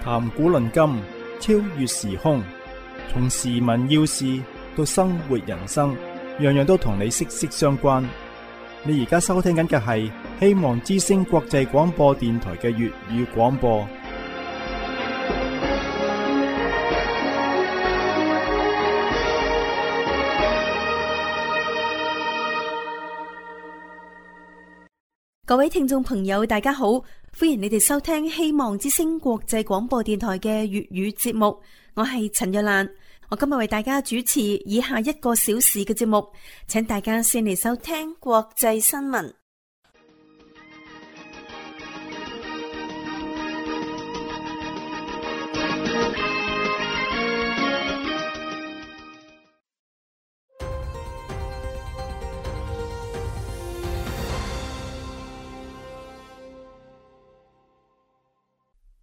談古論今，超越時空，從時聞要事到生活人生，樣樣都同你息息相關。你而家收聽緊嘅係希望之聲國際廣播電台嘅粵語廣播。各位聽眾朋友，大家好，歡迎你哋收聽希望之聲國際廣播電台嘅粵語節目。我係陳若蘭，我今日為大家主持以下1個小時嘅節目，請大家先嚟收聽國際新聞。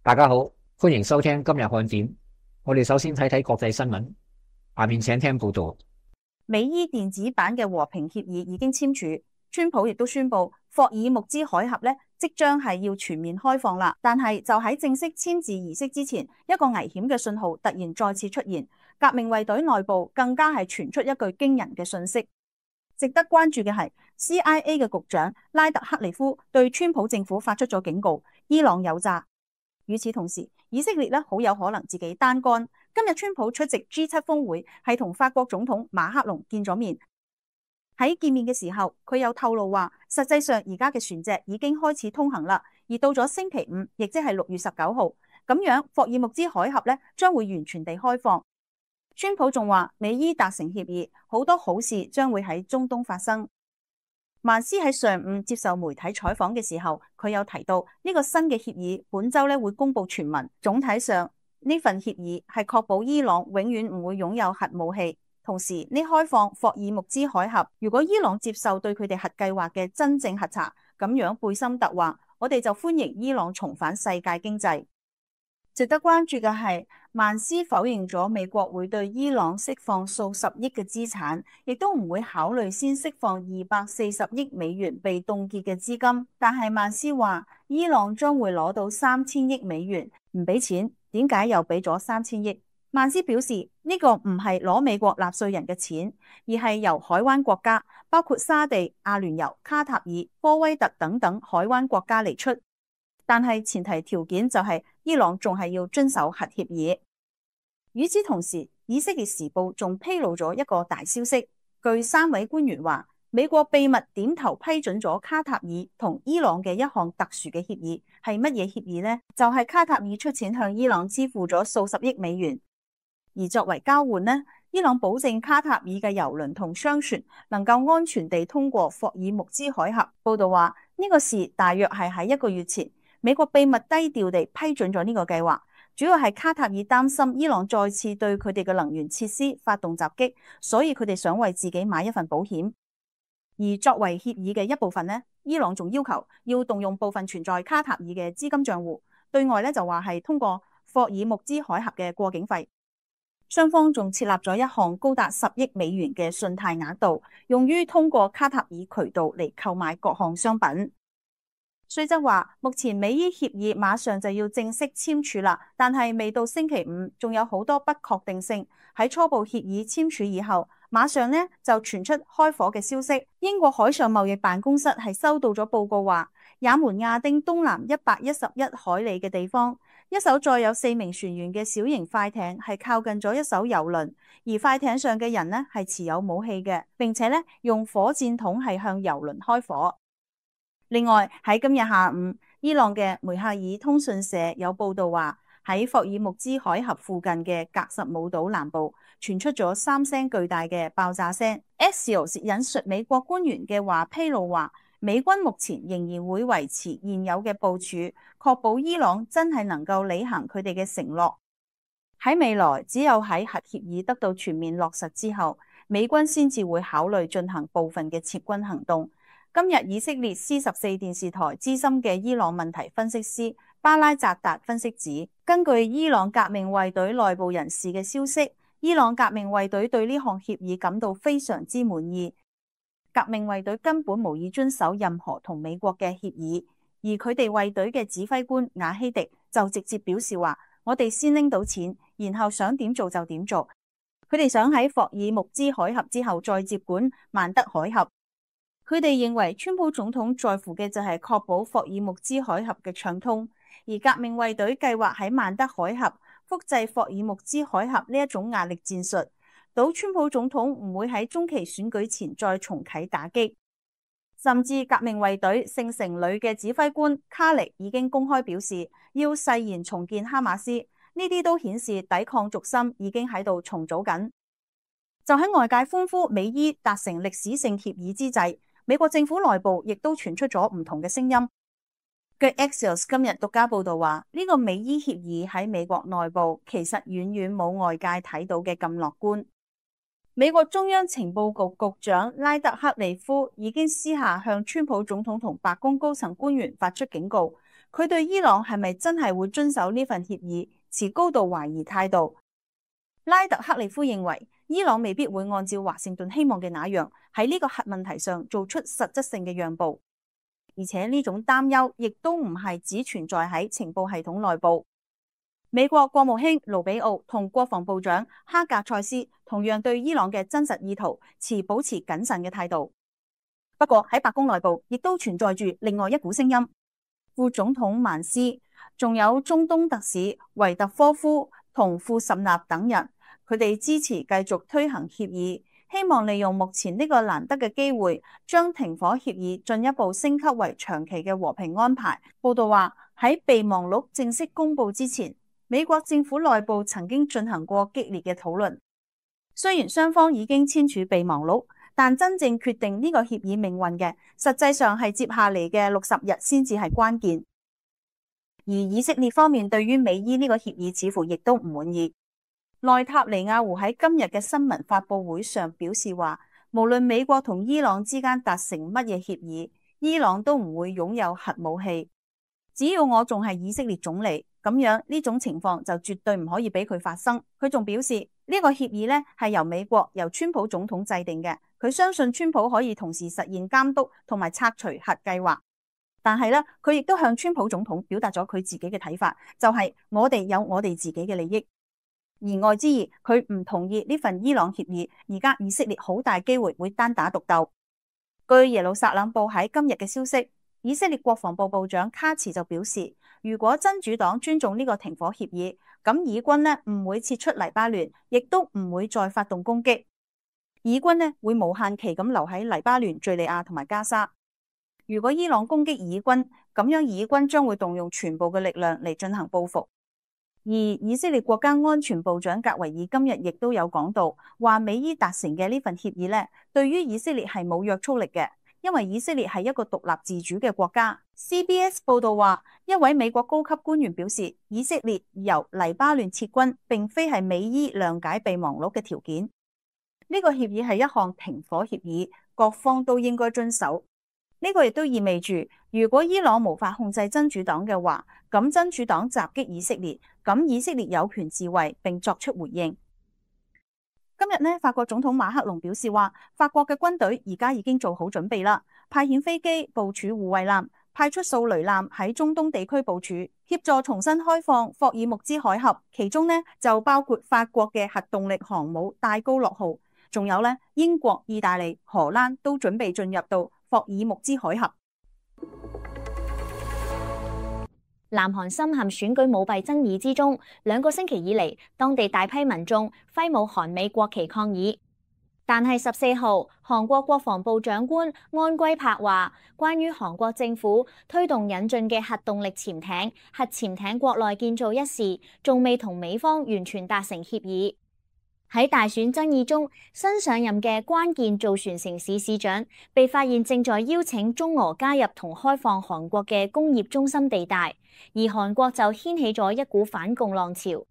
大家好，歡迎收聽今日看點。我哋首先睇睇國際新聞，下面請聽報道。美伊電子版嘅和平協議已經簽署，川普亦都宣布霍爾木茲海峽即將係要全面開放啦。但係就喺正式簽字儀式之前，一個危險嘅信號突然再次出現，革命衛隊內部更加係傳出一句驚人嘅訊息。值得關注嘅係 CIA 嘅局長拉特克利夫對川普政府發出咗警告，伊朗有詐。與此同時，以色列好有可能自己單幹。今日川普出席 G7 峰會，係同法國總統馬克龍見咗面。喺見面嘅時候，佢有透露話，實際上而家嘅船隻已經開始通行啦。而到咗星期五，亦即係6月19號，咁樣霍爾木茲海峽將會完全地開放。川普仲話，美伊達成協議，好多好事將會喺中東發生。曼斯喺上午接受媒體採訪嘅時候，佢有提到呢個新嘅協議本周會公布全文。總體上呢份協議係確保伊朗永遠唔會擁有核武器，同時呢開放霍爾木茲海峽，如果伊朗接受對佢哋核計劃嘅真正核查，咁樣貝森特話，我哋就歡迎伊朗重返世界經濟。值得關注嘅係，曼斯否認咗美國會對伊朗釋放數十億嘅資產，亦都唔會考慮先釋放240億美元被凍結嘅資金。但係曼斯話，伊朗將會攞到3000億美元，唔俾錢，點解又俾咗3000億？曼斯表示，呢個唔係攞美國納稅人嘅錢，而係由海灣國家，包括沙地、阿聯酋、卡塔爾、科威特等等海灣國家嚟出。但係前提條件就係伊朗仲係要遵守核協議。與此同時，以色列時報仲披露咗一個大消息，據3位官員話，美國秘密點頭批准咗卡塔爾同伊朗嘅一項特殊嘅協議。係乜嘢協議呢？就係卡塔爾出錢向伊朗支付咗數十億美元，而作為交換呢，伊朗保證卡塔爾嘅油輪同商船能夠安全地通過霍爾木茲海峽。報道話，呢個事大約係喺1個月前，美國秘密低調地批准咗呢個計劃，主要係卡塔爾擔心伊朗再次對佢哋嘅能源設施發動襲擊，所以佢哋想為自己買一份保險。而作為協議嘅一部分呢，伊朗仲要求要動用部分存在卡塔爾嘅資金賬戶，對外就話係通過霍爾木茲海峽嘅過境費。雙方仲設立咗一項高達10億美元嘅信貸額度，用於通過卡塔爾渠道嚟購買各項商品。雖則話，目前美伊協議馬上就要正式簽署啦，但係未到星期五，仲有好多不確定性。喺初步協議簽署以後，馬上就傳出開火嘅消息。英國海上貿易辦公室係收到咗報告話，也門亞丁東南111海里嘅地方，一艘載有4名船員嘅小型快艇係靠近咗一艘油輪，而快艇上嘅人係持有武器嘅，並且用火箭筒係向油輪開火。另外喺今日下午，伊朗嘅梅克爾通訊社有報道話，喺霍爾木茲海峽附近嘅格什姆島南部傳出咗3聲巨大嘅爆炸聲。Axios 引述美國官員嘅話披露話，美軍目前仍然會維持現有嘅部署，確保伊朗真係能夠履行佢哋嘅承諾。喺未來，只有喺核協議得到全面落實之後，美軍先至會考慮進行部分嘅撤軍行動。今日以色列 C14 電視台資深嘅伊朗問題分析師巴拉扎達分析指，根據伊朗革命衛隊內部人士嘅消息，伊朗革命衛隊對呢項協議感到非常之滿意。革命衛隊根本無意遵守任何同美國嘅協議，而佢哋衛隊嘅指揮官瓦希迪就直接表示話，我哋先拎到錢，然後想點做就點做。佢哋想喺霍爾木茲海峽之後再接管曼德海峽。佢哋認為川普總統在乎嘅就係確保霍爾木茲海峽嘅暢通，而革命衛隊計劃喺曼德海峽複製霍爾木茲海峽呢一種壓力戰術，賭川普總統唔會喺中期選舉前再重啟打擊。甚至革命衛隊聖城旅嘅指揮官卡力已經公開表示要誓言重建哈馬斯，呢啲都顯示抵抗軸心已經喺度重組緊。就喺外界歡呼美伊達成歷史性協議之際，美國政府內部亦都傳出咗唔同嘅聲音。據 Axios 今日獨家報道話，呢個美伊協議喺美國內部其實遠遠冇外界睇到嘅咁樂觀。美國中央情報局局長拉特克利夫已經私下向川普總統同白宮高層官員發出警告，佢對伊朗係咪真係會遵守呢份協議持高度懷疑態度。拉特克利夫認為伊朗未必會按照華盛頓希望嘅那樣喺呢個核問題上做出實質性嘅讓步，而且呢種擔憂亦都唔係只存在喺情報系統內部。美國國務卿盧比奧同國防部長哈格塞斯同樣對伊朗嘅真實意圖保持謹慎嘅態度。不過喺白宮內部亦都存在住另外一股聲音，副總統曼斯，仲有中東特使維特科夫同庫什納等人，佢哋支持繼續推行協議，希望利用目前呢個難得嘅機會，將停火協議進一步升級為長期嘅和平安排。報道話喺備忘錄正式公布之前，美國政府內部曾經進行過激烈嘅討論。雖然雙方已經簽署備忘錄，但真正決定呢個協議命運嘅，實際上係接下嚟嘅60日先至係關鍵。而以色列方面對於美伊呢個協議似乎亦都唔滿意。內塔尼亞胡喺今日嘅新聞發佈會上表示話，無論美國同伊朗之間達成乜嘢協議，伊朗都唔會擁有核武器。只要我仲係以色列總理，咁樣呢種情況就絕對唔可以俾佢發生。佢仲表示呢個協議呢係由川普總統制定嘅，佢相信川普可以同時實現監督同埋拆除核計劃。但係呢，佢亦都向川普總統表達咗佢自己嘅睇法，就係我哋有我哋自己嘅利益。言外之意，佢唔同意呢份伊朗協議，而家以色列好大機會會單打獨鬥。據耶路撒冷報喺今日嘅消息，以色列國防部部長卡茨就表示，如果真主黨尊重呢個停火協議，咁以軍呢唔會撤出黎巴嫩，亦都唔會再發動攻擊。以軍呢會無限期咁留喺黎巴嫩、敘利亞同埋加沙。如果伊朗攻擊以軍，咁樣以軍將會動用全部嘅力量嚟進行報復。而以色列國家安全部長格維爾今日亦都有講到，話美伊達成嘅呢份協議呢，對於以色列係冇約束力嘅，因為以色列係一個獨立自主嘅國家。CBS 報道話，一位美國高級官員表示，以色列由黎巴嫩撤軍並非係美伊諒解備忘錄嘅條件。呢個協議係一項停火協議，各方都應該遵守。呢個亦都意味住，如果伊朗無法控制真主黨嘅話，咁真主黨襲擊以色列，咁以色列有權自衛並作出回應。今日呢，法國總統馬克龍表示話，法國嘅軍隊而家已經做好準備啦，派遣飛機部署護衛艦，派出掃雷艦喺中東地區部署，協助重新開放霍爾木茲海峽。其中呢，就包括法國嘅核動力航母戴高樂號，仲有呢，英國、意大利、荷蘭都準備進入到霍爾木茲海峽。南韓深陷選舉舞弊爭議之中，2個星期以嚟，當地大批民眾揮舞韓美國旗抗議。但係14號，韓國國防部長官安圭柏話，關於韓國政府推動引進嘅核動力潛艇、核潛艇國內建造一事，仲未同美方完全達成協議。喺大選爭議中，新上任嘅關鍵造船城市市長被發現正在邀請中俄加入同開放韓國嘅工業中心地帶，而韓國就掀起咗一股反共浪潮。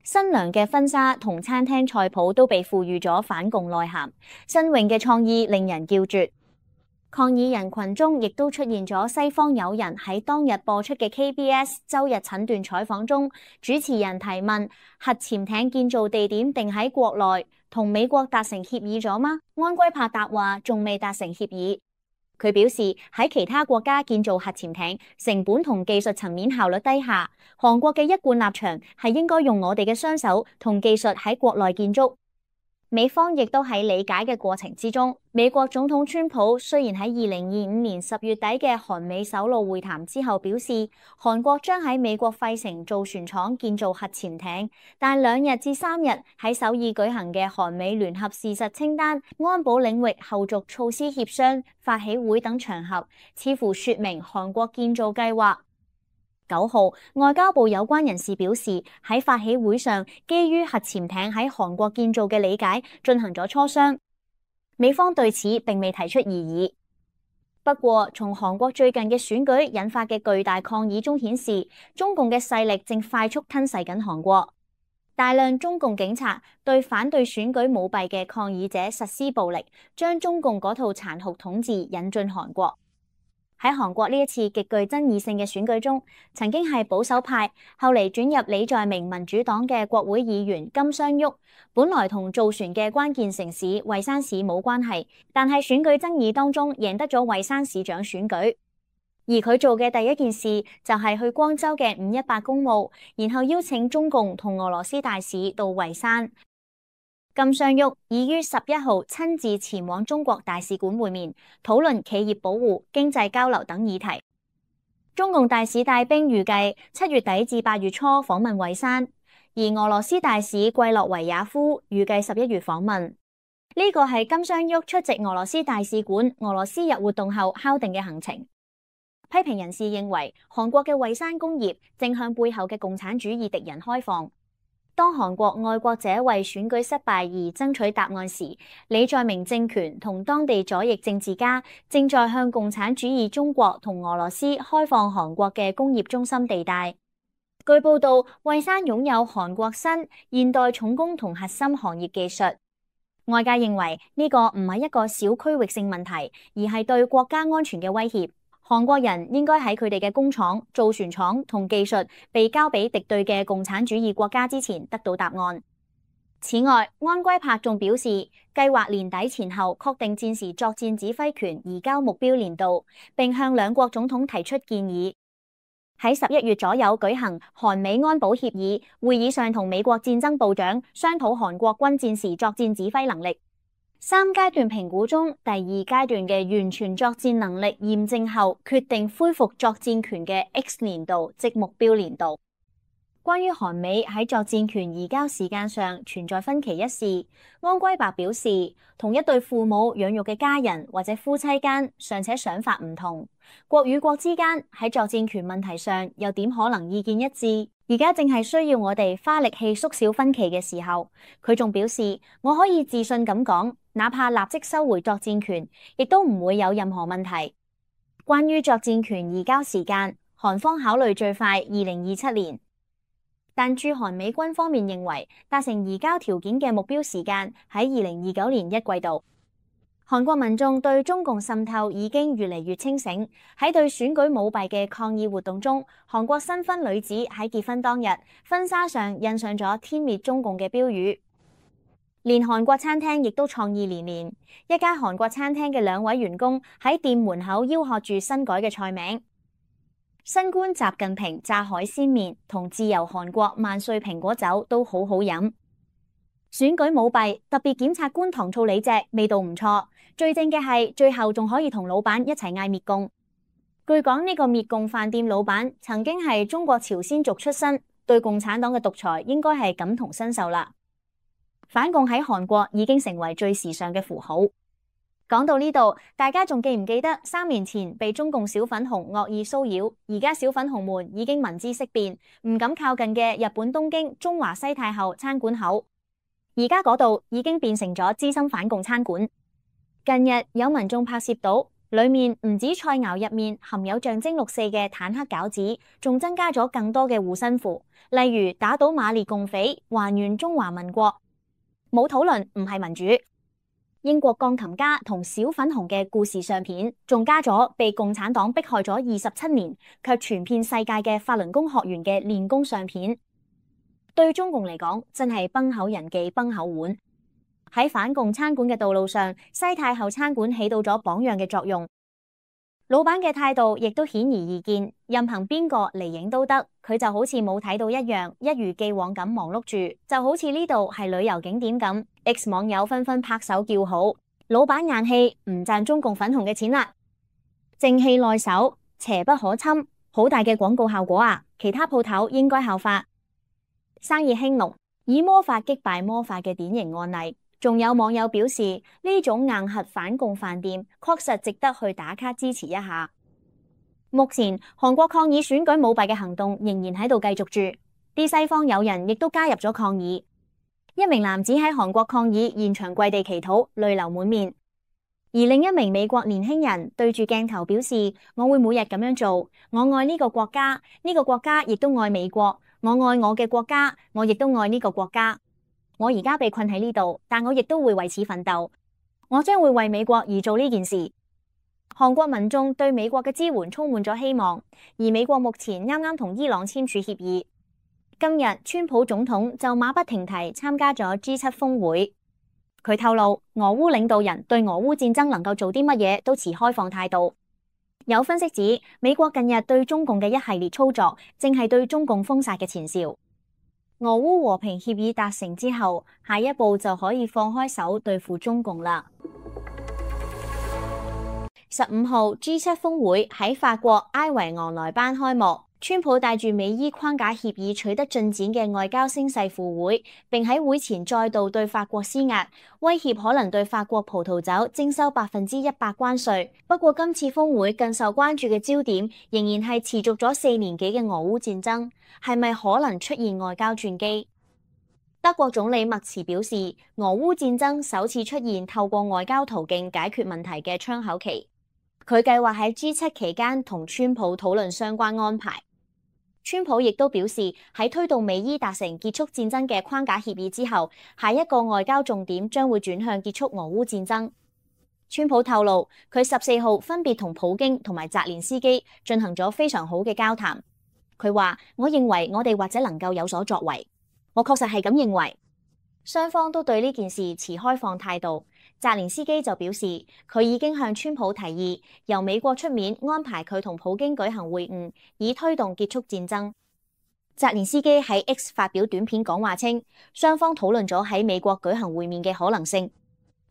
新娘嘅婚紗同餐廳菜譜都被賦予咗反共內涵，新穎嘅創意令人叫絕。抗議人群中亦都出現咗西方友人喺當日播出嘅 KBS 周日診斷採訪中，主持人提問核潛艇建造地點定喺國內，同美國達成協議咗嗎？安圭柏答話仲未達成協議。佢表示喺其他國家建造核潛艇，成本同技術層面效率低下，韓國嘅一貫立場係應該用我哋嘅雙手同技術喺國內建築。美方亦都喺理解嘅過程之中。美國總統川普雖然喺2025年10月底嘅韓美首腦會談之後表示，韓國將喺美國費城造船廠建造核潛艇，但2日至3日喺首爾舉行嘅韓美聯合事實清單、安保領域後續措施協商、發起會等場合，似乎說明韓國建造計劃。9號，外交部有關人士表示，喺發起會上，基於核潛艇喺韓國建造嘅理解進行咗磋商。美方對此並未提出異議。不過，從韓國最近嘅選舉引發嘅巨大抗議中顯示，中共嘅勢力正快速吞噬緊韓國。大量中共警察對反對選舉舞弊嘅抗議者實施暴力，將中共嗰套殘酷統治引進韓國。喺韓國呢一次極具爭議性嘅選舉中，曾經係保守派，後嚟轉入李在明民主黨嘅國會議員金相旭，本來同造船嘅關鍵城市蔚山市冇關係，但係選舉爭議當中贏得咗蔚山市長選舉。而佢做嘅第一件事就係去光州嘅518公墓，然後邀請中共同俄羅斯大使到蔚山。金相旭已於11號親自前往中國大使館會面，討論企業保護、經濟交流等議題。中共大使帶兵預計7月底至8月初訪問蔚山，而俄羅斯大使季洛維亞夫預計11月訪問。呢個係金相旭出席俄羅斯大使館俄羅斯日活動後敲定嘅行程。批評人士認為，韓國嘅蔚山工業正向背後嘅共產主義敵人開放。當韓國愛國者為選舉失敗而爭取答案時，李在明政權同當地左翼政治家正在向共產主義中國同俄羅斯開放韓國嘅工業中心地帶。據報道，蔚山擁有韓國新現代重工同核心行業技術。外界認為呢個唔係一個小區域性問題，而係對國家安全嘅威脅。韓國人應該喺佢哋嘅工廠、造船廠同技術被交俾敵對嘅共產主義國家之前得到答案。此外，安圭柏仲表示，計劃年底前後確定戰時作戰指揮權移交目標年度，並向兩國總統提出建議。喺11月左右舉行韓美安保協議會議上，同美國戰爭部長商討韓國軍戰時作戰指揮能力。3階段評估中，第2階段嘅完全作戰能力驗證後，決定恢復作戰權嘅 X 年度，即目標年度。關於韓美喺作戰權移交時間上存在分歧一事，安圭柏表示，同一對父母養育嘅家人或者夫妻間尚且想法唔同，國與國之間喺作戰權問題上又點可能意見一致？而家正係需要我哋花力氣縮小分歧嘅時候。佢仲表示，我可以自信咁講，哪怕立即收回作戰權，亦都唔會有任何問題。關於作戰權移交時間，韓方考慮最快2027年，但駐韓美軍方面認為達成移交條件嘅目標時間喺2029年1季度。韓國民眾對中共滲透已經越嚟越清醒。喺對選舉舞弊嘅抗議活動中，韓國新婚女子喺結婚當日，婚紗上印上咗天滅中共嘅標語。連韓國餐廳亦都創意連連，一間韓國餐廳嘅2位員工喺店門口吆喝住新改嘅菜名：新官習近平炸海鮮麵同自由韓國萬歲蘋果酒都好好飲。選舉舞弊，特別檢察官糖醋里脊味道唔錯，最正嘅係最後仲可以同老闆一齊嗌滅共。據講呢個滅共飯店老闆曾經係中國朝鮮族出身，對共產黨嘅獨裁應該係感同身受啦。反共喺韓國已經成為最時尚嘅符號。講到呢度，大家仲記唔記得3年前被中共小粉紅惡意騷擾，而家小粉紅們已經聞之色變，唔敢靠近嘅日本東京中華西太后餐館口，而家嗰度已經變成咗資深反共餐館。近日有民眾拍攝到，裏面唔止菜肴入面含有象徵6·4嘅坦克餃子，仲增加咗更多嘅護身符，例如打倒馬列共匪，還原中華民國。冇討論唔係民主。英國鋼琴家同小粉紅嘅故事相片，仲加咗被共產黨迫害咗27年，卻傳遍世界嘅法輪功學員嘅練功相片。對中共嚟講，真係崩口人忌崩口碗。喺反共餐館嘅道路上，西太后餐館起到咗榜樣嘅作用。老闆嘅態度亦都顯而易見，任憑邊個嚟影都得，佢就好似冇睇到一樣，一如既往咁忙碌住，就好似呢度係旅遊景點咁。X 網友紛紛拍手叫好，老闆硬氣，唔賺中共粉紅嘅錢啦，正氣內守，邪不可侵，好大嘅廣告效果啊！其他鋪頭應該效法。生意興隆，以魔法擊敗魔法嘅典型案例。仲有網友表示，呢種硬核反共飯店確實值得去打卡支持一下。目前韓國抗議選舉舞弊嘅行動仍然喺度繼續住，啲西方友人亦都加入咗抗議。一名男子喺韓國抗議現場跪地祈禱，淚流滿面；而另一名美國年輕人對住鏡頭表示：我會每日咁樣做，我愛呢個國家，呢個國家亦都愛美國，我愛我嘅國家，我亦都愛呢個國家。我而家被困喺呢度，但我亦都會為此奮鬥。我將會為美國而做呢件事。韓國民眾對美國嘅支援充滿咗希望，而美國目前啱啱同伊朗簽署協議。今日川普總統就馬不停蹄參加咗 G7 峰會。佢透露，俄烏領導人對俄烏戰爭能夠做啲乜嘢都持開放態度。有分析指，美國近日對中共嘅一系列操作，正係對中共封殺嘅前兆。俄烏和平協議達成之後，下一步就可以放開手對付中共啦。15號 G7 峰會喺法國埃維昂萊班開幕，川普帶住美伊框架協議取得進展嘅外交聲勢赴會，並喺會前再度對法國施壓，威脅可能對法國葡萄酒徵收100%關稅。不過今次峰會更受關注嘅焦點仍然係持續咗4年幾嘅俄烏戰爭，係咪可能出現外交轉機？德國總理默茨表示，俄烏戰爭首次出現透過外交途徑解決問題嘅窗口期。佢計劃喺 G7 期間同川普討論相關安排。川普亦都表示，喺推動美伊達成結束戰爭嘅框架協議之後，下一個外交重點將會轉向結束俄烏戰爭。川普透露，佢14號分別同普京同埋澤連斯基進行咗非常好嘅交談。佢話：我認為我哋或者能夠有所作為。我確實係咁認為。雙方都對呢件事持開放態度。澤連斯基就表示，佢已經向川普提議由美國出面安排佢同普京舉行會晤，以推動結束戰爭。澤連斯基喺 X 發表短片講話稱，雙方討論咗喺美國舉行會面嘅可能性。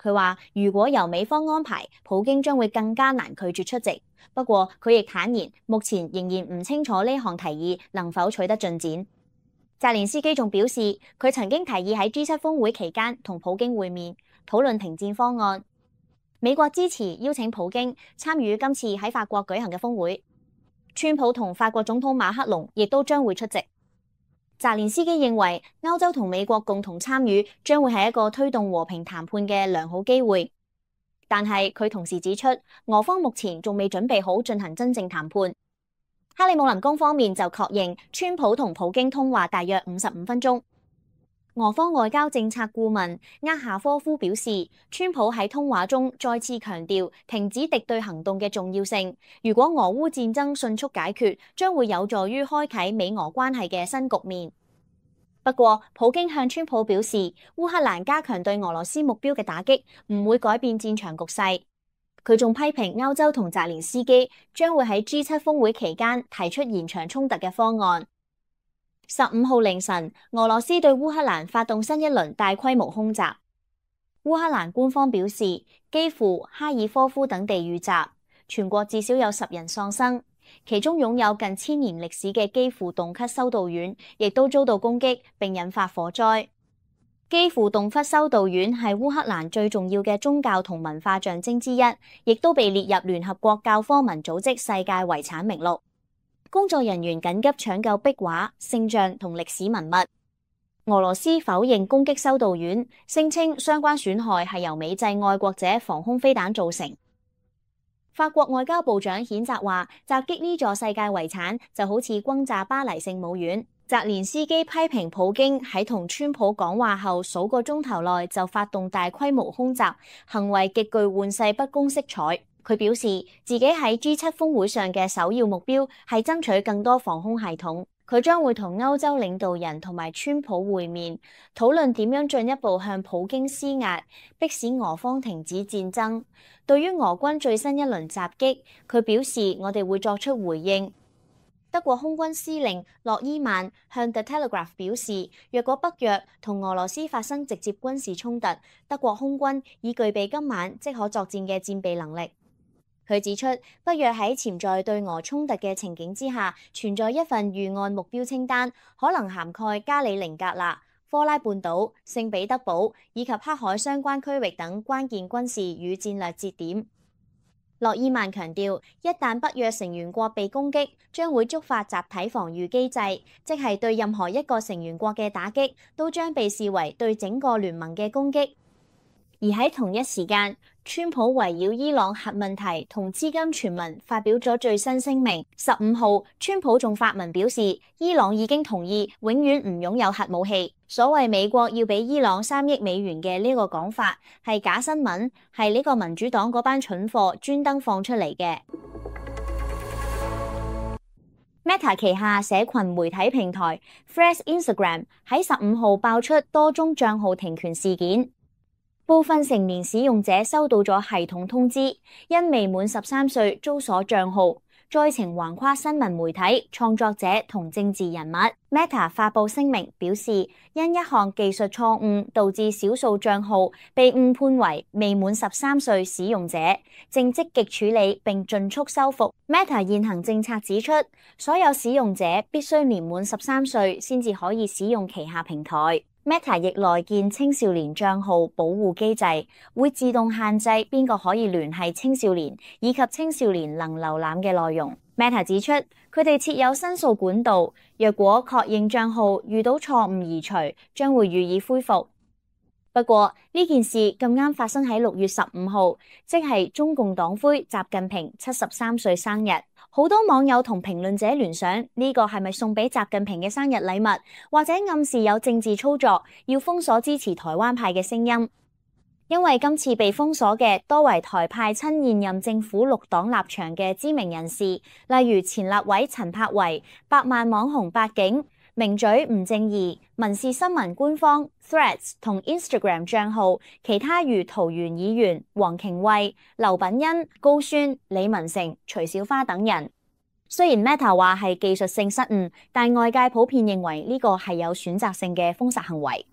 佢話如果由美方安排，普京將會更加難拒絕出席。不過佢亦坦言，目前仍然唔清楚呢項提議能否取得進展。澤連斯基仲表示，佢曾經提議喺 G7 峰會期間同普京會面，討論停戰方案。美國支持邀請普京參與今次喺法國舉行嘅峰會。川普同法國總統馬克龍亦都將會出席。澤連斯基認為，歐洲同美國共同參與將會係一個推動和平談判嘅良好機會。但係佢同時指出，俄方目前仲未準備好進行真正談判。克里姆林宮方面就確認，川普同普京通話大約55分鐘。俄方外交政策顧問厄夏科夫表示，川普喺通話中再次強調停止敵對行動嘅重要性。如果俄烏戰爭迅速解決，將會有助於開啟美俄關係嘅新局面。不過，普京向川普表示，烏克蘭加強對俄羅斯目標嘅打擊唔會改變戰場局勢。佢仲批評歐洲同澤連斯基將會喺 G7 峰會期間提出延長衝突嘅方案。15號凌晨，俄羅斯對烏克蘭發動新一輪大規模空襲。烏克蘭官方表示，基輔、哈爾科夫等地遇襲，全國至少有10人喪生，其中擁有近1000年歷史嘅基輔洞窟修道院亦都遭到攻擊並引發火災。基輔洞窟修道院係烏克蘭最重要嘅宗教同文化象徵之一，亦都被列入聯合國教科文組織世界遺產名錄。工作人員緊急搶救壁畫、聖像同歷史文物。俄羅斯否認攻擊修道院，聲稱相關損害係由美製愛國者防空飛彈造成。法國外交部長譴責話，襲擊呢座世界遺產就好似轟炸巴黎聖母院。澤連斯基批評普京喺同川普講話後數個鐘頭內就發動大規模空襲，行為極具玩世不恭色彩。佢表示自己喺 G7 峰會上嘅首要目標係爭取更多防空系統。佢將會同歐洲領導人同埋川普會面，討論點樣進一步向普京施壓，迫使俄方停止戰爭。對於俄軍最新一輪襲擊，佢表示我哋會作出回應。德國空軍司令諾伊曼向 The Telegraph 表示，若果北約同俄羅斯發生直接軍事衝突，德國空軍已具備今晚即可作戰嘅戰備能力。佢指出，北約喺潛在對俄衝突嘅情景之下，存在一份預案目標清單，可能涵蓋加里寧格勒、科拉半島、聖彼得堡以及黑海相關區域等關鍵軍事與戰略節點。諾伊曼強調，一旦北約成員國被攻擊，將會觸發集體防禦機制，即係對任何一個成員國嘅打擊，都將被視為對整個聯盟嘅攻擊。而喺同一時間，川普圍繞伊朗核問題同資金傳聞發表咗最新聲明。15號，川普仲發文表示，伊朗已經同意永遠唔擁有核武器。所謂美國要俾伊朗3億美元嘅呢個講法係假新聞，係呢個民主黨嗰班蠢貨專登放出嚟嘅。Meta 旗下社群媒體平台 Threads Instagram 喺15號爆出多宗賬號停權事件。部分成年使用者收到咗系統通知，因未滿13歲遭鎖賬號，災情橫跨新聞媒體、創作者同政治人物。Meta 發布聲明表示，因一項技術錯誤導致少數賬號被誤判為未滿13歲使用者，正積極處理並盡速修復。Meta 現行政策指出，所有使用者必須年滿13歲先至可以使用旗下平台。Meta 亦內建青少年賬號保護機制，會自動限制邊個可以聯繫青少年，以及青少年能瀏覽嘅內容。Meta 指出，佢哋設有申訴管道，若果確認賬號遇到錯誤移除，將會予以恢復。不過呢件事咁啱發生喺6月15號，即係中共黨魁習近平73歲生日。好多網友同評論者聯想，呢個係咪送俾習近平嘅生日禮物，或者暗示有政治操作，要封鎖支持台灣派嘅聲音？因為今次被封鎖嘅多為台派親現任政府綠黨立場嘅知名人士，例如前立委陳柏惟、百萬網紅八景、名嘴吳正義、民視新聞官方 Threads 同 Instagram 賬號，其他如桃園議員、黃瓊慧、劉品欣、高宣、李文成、徐小花等人。雖然 Meta 話係技術性失誤，但外界普遍認為呢個係有選擇性嘅封殺行為。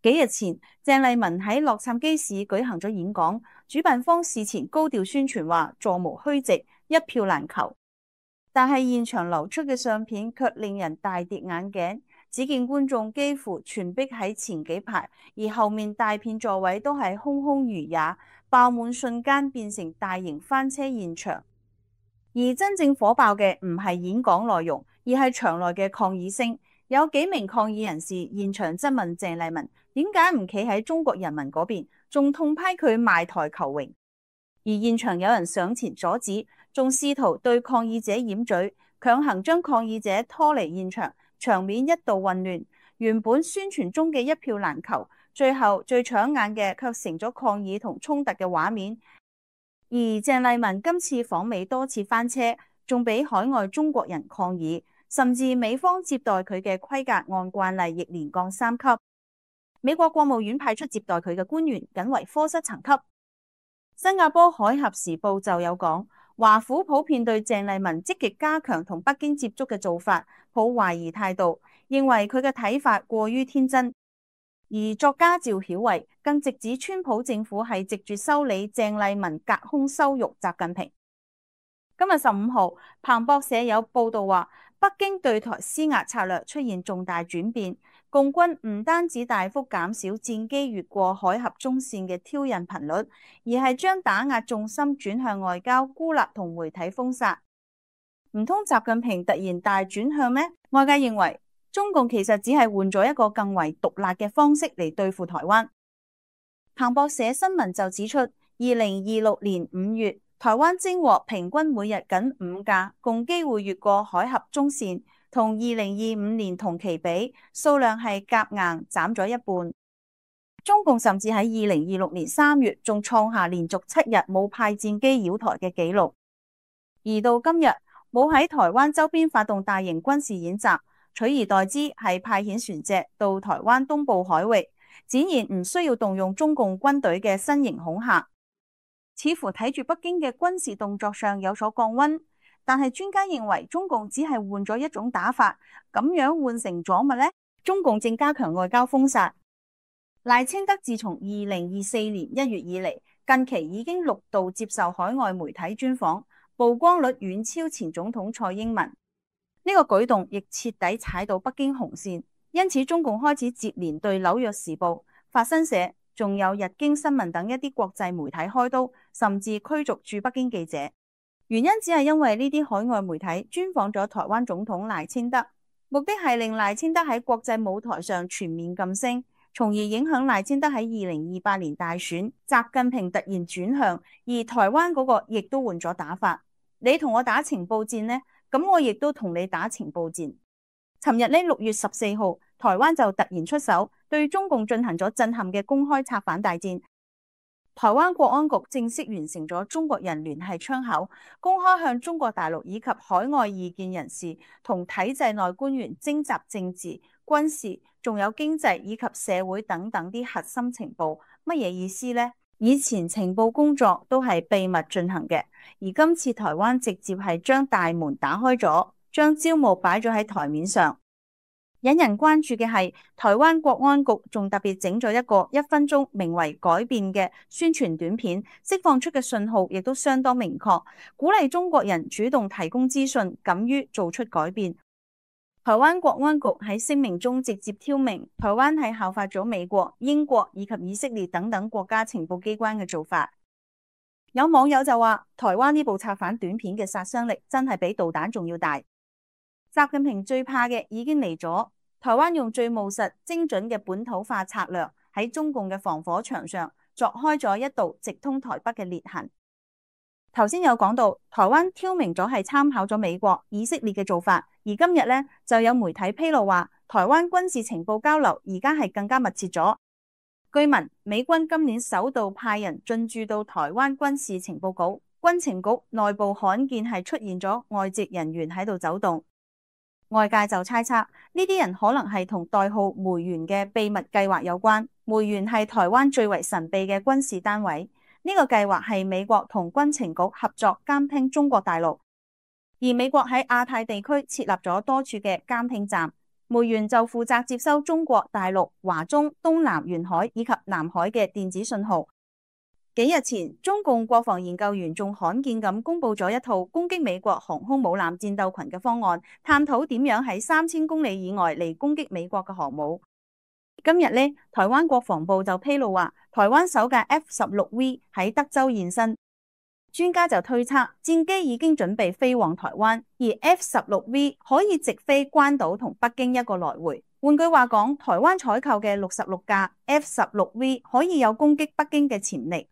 幾日前，鄭麗文喺洛杉磯市舉行咗演講，主辦方事前高調宣傳話座無虛席，一票難求。但係現場流出嘅相片卻令人大跌眼鏡，只見觀眾幾乎全逼喺前幾排，而後面大片座位都係空空如也，爆滿瞬間變成大型翻車現場。而真正火爆嘅唔係演講內容，而係場內嘅抗議聲。有幾名抗議人士現場質問鄭麗文點解唔企喺中國人民嗰邊，仲痛批佢賣台求榮。而現場有人上前阻止，仲試圖對抗議者掩嘴，強行將抗議者拖離現場，場面一度混亂。原本宣傳中嘅一票難求，最後最搶眼嘅卻成咗抗議同衝突嘅畫面。而鄭麗文今次訪美多次翻車，仲俾海外中國人抗議，甚至美方接待佢嘅規格按慣例亦連降3級。美國國務院派出接待佢嘅官員僅為科室層級。新加坡海峽時報就有講，華府普遍對鄭麗文積極加強同北京接觸嘅做法抱懷疑態度，認為佢嘅睇法過於天真。而作家趙曉慧更直指川普政府係藉住修理鄭麗文隔空羞辱習近平。今日15號，彭博社有報道話，北京對台施壓策略出現重大轉變，共軍唔單止大幅減少戰機越過海峽中線嘅挑釁頻率，而係將打壓重心轉向外交孤立同媒體封殺。唔通習近平突然大轉向咩？外界認為中共其實只係換咗一個更為毒辣嘅方式嚟對付台灣。彭博社新聞就指出，2026年5月，台灣偵獲平均每日僅5架共機會越過海峽中線，同2025年同期比，數量係夾硬斬咗一半。中共甚至喺2026年3月仲創下連續7日冇派戰機擾台嘅紀錄，而到今日冇喺台灣周邊發動大型軍事演習，取而代之係派遣船隻到台灣東部海域，展現唔需要動用中共軍隊嘅新型恐嚇，似乎睇住北京嘅軍事動作上有所降溫。但係專家認為中共只係換咗一種打法，咁樣換成咗乜呢？中共正加強外交封殺。賴清德自從2024年1月以嚟，近期已經6度接受海外媒體專訪，曝光率遠超前總統蔡英文。呢個舉動亦徹底踩到北京紅線，因此中共開始接連對紐約時報、法新社仲有日經新聞等一啲國際媒體開刀，甚至驅逐駐北京記者。原因只係因為呢啲海外媒體專訪咗台灣總統賴清德，目的係令賴清德喺國際舞台上全面噤聲，從而影響賴清德喺2028年大選，習近平突然轉向，而台灣嗰個亦都換咗打法。你同我打情報戰呢，咁我亦都同你打情報戰。尋日呢6月14號，台灣就突然出手，對中共進行咗震撼嘅公開策反大戰。台灣國安局正式完成咗中國人聯繫窗口，公開向中國大陸以及海外異見人士同體制內官員徵集政治、軍事，仲有經濟以及社會等等啲核心情報。乜嘢意思呢？以前情報工作都係秘密進行嘅，而今次台灣直接係將大門打開咗，將招募擺咗喺台面上。引人關注嘅係，台灣國安局仲特別整咗一個1分鐘名為改變嘅宣傳短片，釋放出嘅信號亦都相當明確，鼓勵中國人主動提供資訊，敢於做出改變。台灣國安局喺聲明中直接挑明，台灣係效法咗美國、英國以及以色列等等國家情報機關嘅做法。有網友就話，台灣呢部策反短片嘅殺傷力真係比導彈仲要大。習近平最怕嘅已經嚟咗，台灣用最務實、精準嘅本土化策略喺中共嘅防火牆上鑿開咗一道直通台北嘅裂痕。頭先有講到，台灣挑明咗係參考咗美國、以色列嘅做法，而今日呢，就有媒體披露話，台灣軍事情報交流而家係更加密切咗。據聞，美軍今年首度派人進駐到台灣軍事情報局，軍情局內部罕見係出現咗外籍人員喺度走動。外界就猜測呢啲人可能係同代號梅園嘅秘密計劃有關。梅園係台灣最為神秘嘅軍事單位，呢個計劃係美國同軍情局合作監聽中國大陸，而美國喺亞太地區設立咗多處嘅監聽站，梅園就負責接收中國大陸、華中、東南沿海以及南海嘅電子信號。幾日前，中共國防研究院仲罕見咁公布咗一套攻擊美國航空母艦戰鬥群嘅方案，探討點樣喺3000公里以外嚟攻擊美國嘅航母。今日呢，台灣國防部就披露話，台灣首架 F-16V 喺德州現身，專家就推測戰機已經準備飛往台灣，而 F-16V 可以直飛關島同北京一個來回。換句話講，台灣採購嘅66架 F-16V 可以有攻擊北京嘅潛力。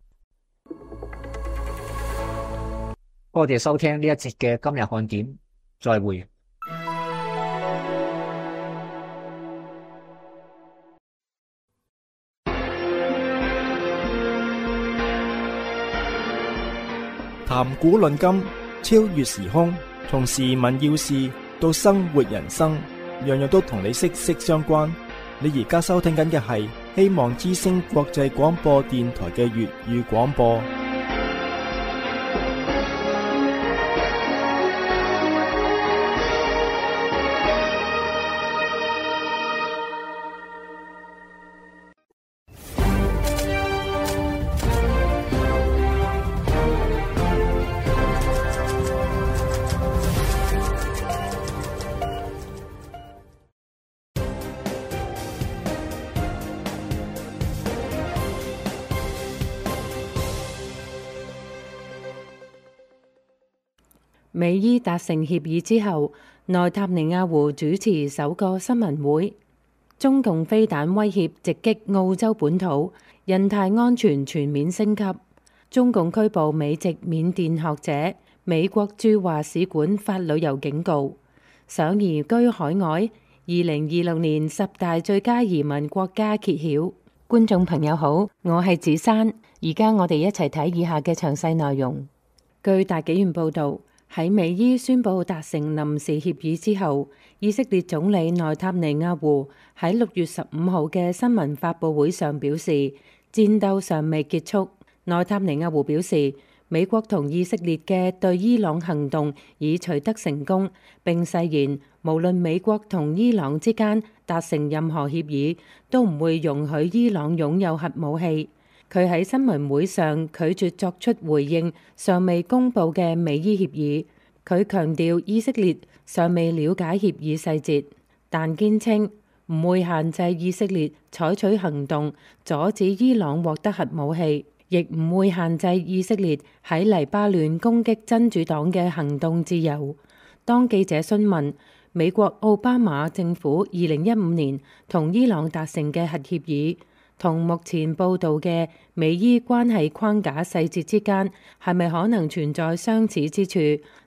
多謝收聽呢一節嘅今日看點，再會。談古論今，超越時空，從時聞要事到生活人生，樣樣都同你息息相關。你而家收聽緊嘅係希望之聲國際廣播電台嘅粵語廣播。美伊達成協議之後，內塔尼亞胡主持首個新聞會。中共飛彈威脅直擊澳洲本土，印太安全全面升級。中共拘捕美籍緬甸學者，美國駐華使館發旅遊警告。想移居海外，2026年10大最佳移民國家揭曉。觀眾朋友好，我係子珊，而家我哋一齊睇以下嘅詳細內容。據大紀元報導，喺美伊宣布達成臨時協議之後，以色列總理內塔尼亞胡喺6月15號嘅新聞發佈會上表示，戰鬥尚未結束。內塔尼亞胡表示，美國同以色列嘅對伊朗行動已取得成功，並誓言無論美國同伊朗之間達成任何協議，都唔會容許伊朗擁有核武器。佢喺新聞會上拒絕作出回應尚未公佈嘅美伊協議。佢強調以色列尚未了解協議細節，但堅稱唔會限制以色列採取行動阻止伊朗獲得核武器，亦唔會限制以色列喺黎巴嫩攻擊真主黨嘅行動自由。當記者詢問美國奧巴馬政府2015年同伊朗達成嘅核協議同目前報導嘅美伊關係框架細節之間係咪可能存在相似之處，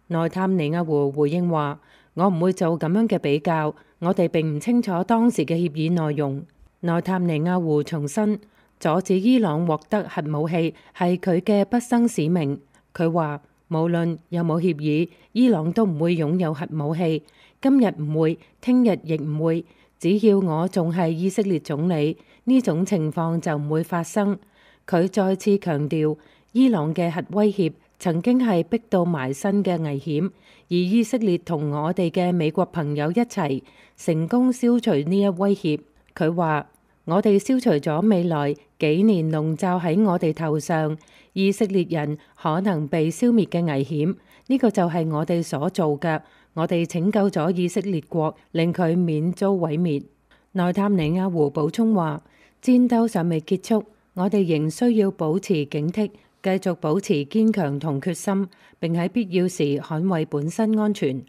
內塔尼亞胡回應話：我唔會做咁樣嘅比較，我哋並唔清楚當時嘅協議內容。內塔尼亞胡重申，阻止伊朗獲得核武器係佢嘅畢生使命。佢話：無論有冇協議，伊朗都唔會擁有核武器。今日唔會，聽日亦唔會。只要我仲係以色列總理，呢種情況就唔會發生。佢再次強調，伊朗嘅核威脅曾經係逼到埋身嘅危險，而以色列同我哋嘅美國朋友一齊成功消除呢一威脅。佢話：我哋消除咗未來幾年籠罩喺我哋頭上以色列人可能被消滅嘅危險，呢個就係我哋所做嘅。我哋拯救咗以色列國，令佢免遭毀滅。內塔尼亞胡補充話：戰鬥尚未結束，我哋仍需要保持警惕，繼續保持堅強同決心，並喺必要時捍衛本身安全。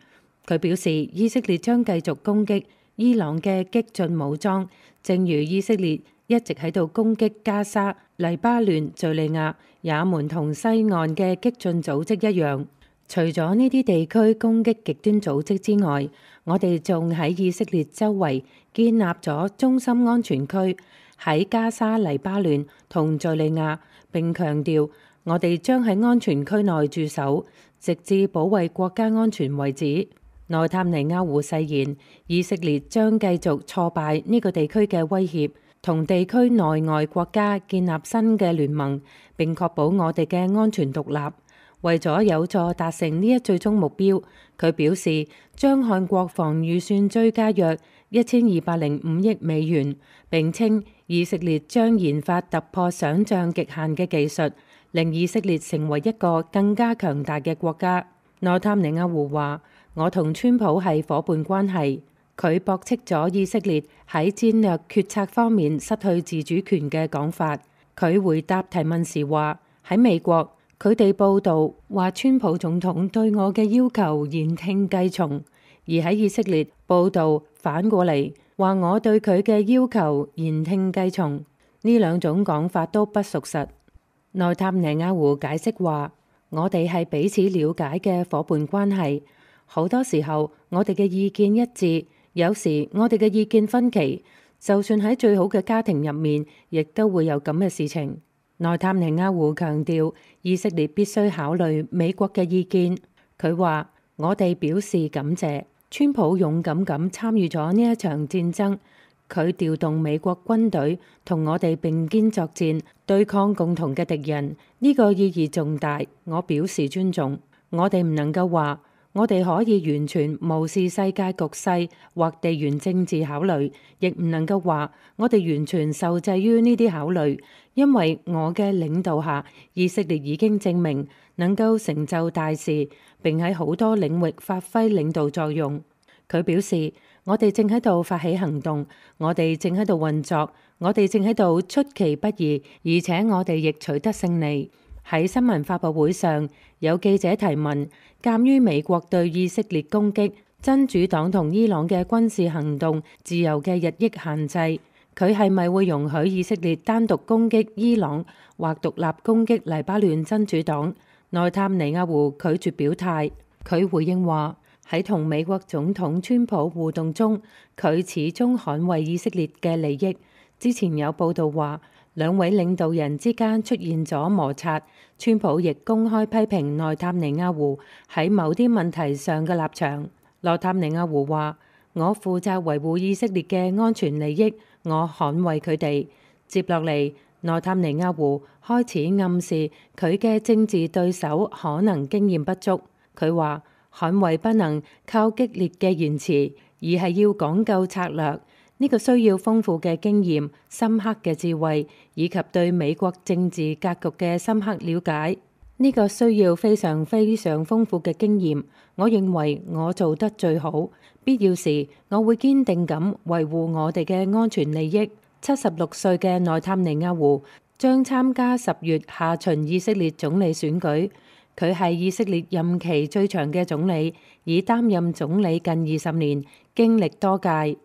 佢表示，以色列將繼續攻擊伊朗嘅激進武裝，正如以色列一直喺度攻擊加沙、黎巴嫩、敘利亞、也門同西岸嘅激進組織一樣。除咗呢啲地區攻擊極端組織之外，我哋仲喺以色列周圍建立咗中心安全區，喺加沙、黎巴嫩同敘利亞，並強調我哋將喺安全區內駐守，直至保衛國家安全為止。內塔尼亞胡誓言，以色列將繼續挫敗呢個地區嘅威脅，同地區內外國家建立新嘅聯盟，並確保我哋嘅安全獨立。為咗有助達成呢一最終目標，佢表示將向國防預算追加約1205億美元，並稱以色列將研發突破想像極限嘅技術，令以色列成為一個更加強大嘅國家。內塔尼亞胡話：我同川普係夥伴關係。佢駁斥咗以色列喺戰略決策方面失去自主權嘅講法。佢回答提問時話：喺美國，佢哋報道話川普總統對我嘅要求言聽計從，而喺以色列報道反過嚟話我對佢嘅要求言聽計從。呢兩種講法都不屬實。內塔尼亞胡解釋話：我哋係彼此了解嘅夥伴關係，好多時候我哋嘅意見一致，有時我哋嘅意見分歧，就算喺最好嘅家庭入面，亦都會有咁嘅事情。內塔尼亞胡強調，以色列必須考慮美國嘅意見。佢話：我哋表示感謝，川普勇敢咁參與咗呢一場戰爭，佢調動美國軍隊同我哋並肩作戰，對抗共同嘅敵人，呢個意義重大，我表示尊重。我哋唔能夠話我哋可以完全無視世界局勢或地緣政治考慮，亦唔能夠話我哋完全受制於呢啲考慮，因為我嘅領導下，以色列已經證明能夠成就大事，並喺好多領域發揮領導作用。佢表示，我哋正喺度發起行動，我哋正喺度運作，我哋正喺度出其不意，而且我哋亦取得勝利。喺新聞發佈會上，有記者提問，鑑於美國對以色列攻擊真主黨同伊朗嘅軍事行動自由嘅日益限制，佢係咪會容許以色列單獨攻擊伊朗或獨立攻擊黎巴嫩真主黨？內塔尼亞胡拒絕表態。佢回應話，喺同美國總統川普互動中，佢始終捍衛以色列嘅利益，之前有報道話，兩位領導人之間出現咗摩擦。川普亦公開批評內塔尼亞胡喺某啲問題上嘅立場。內塔尼亞胡話：我負責維護以色列嘅安全利益，我捍衛佢哋。接落嚟，內塔尼亞胡開始暗示佢嘅政治對手可能經驗不足。佢話：捍衛不能靠激烈嘅言辭，而係要講究策略。呢個需要豐富嘅經驗、深刻嘅智慧，以及對美國政治格局嘅深刻了解。呢個需要非常非常豐富嘅經驗。我認為我做得最好。必要時，我會堅定咁維護我哋嘅安全利益。76歲嘅內塔尼亞胡將參加10月下旬以色列總理選舉。佢係以色列任期最長嘅總理，已擔任總理近20年，經歷多屆。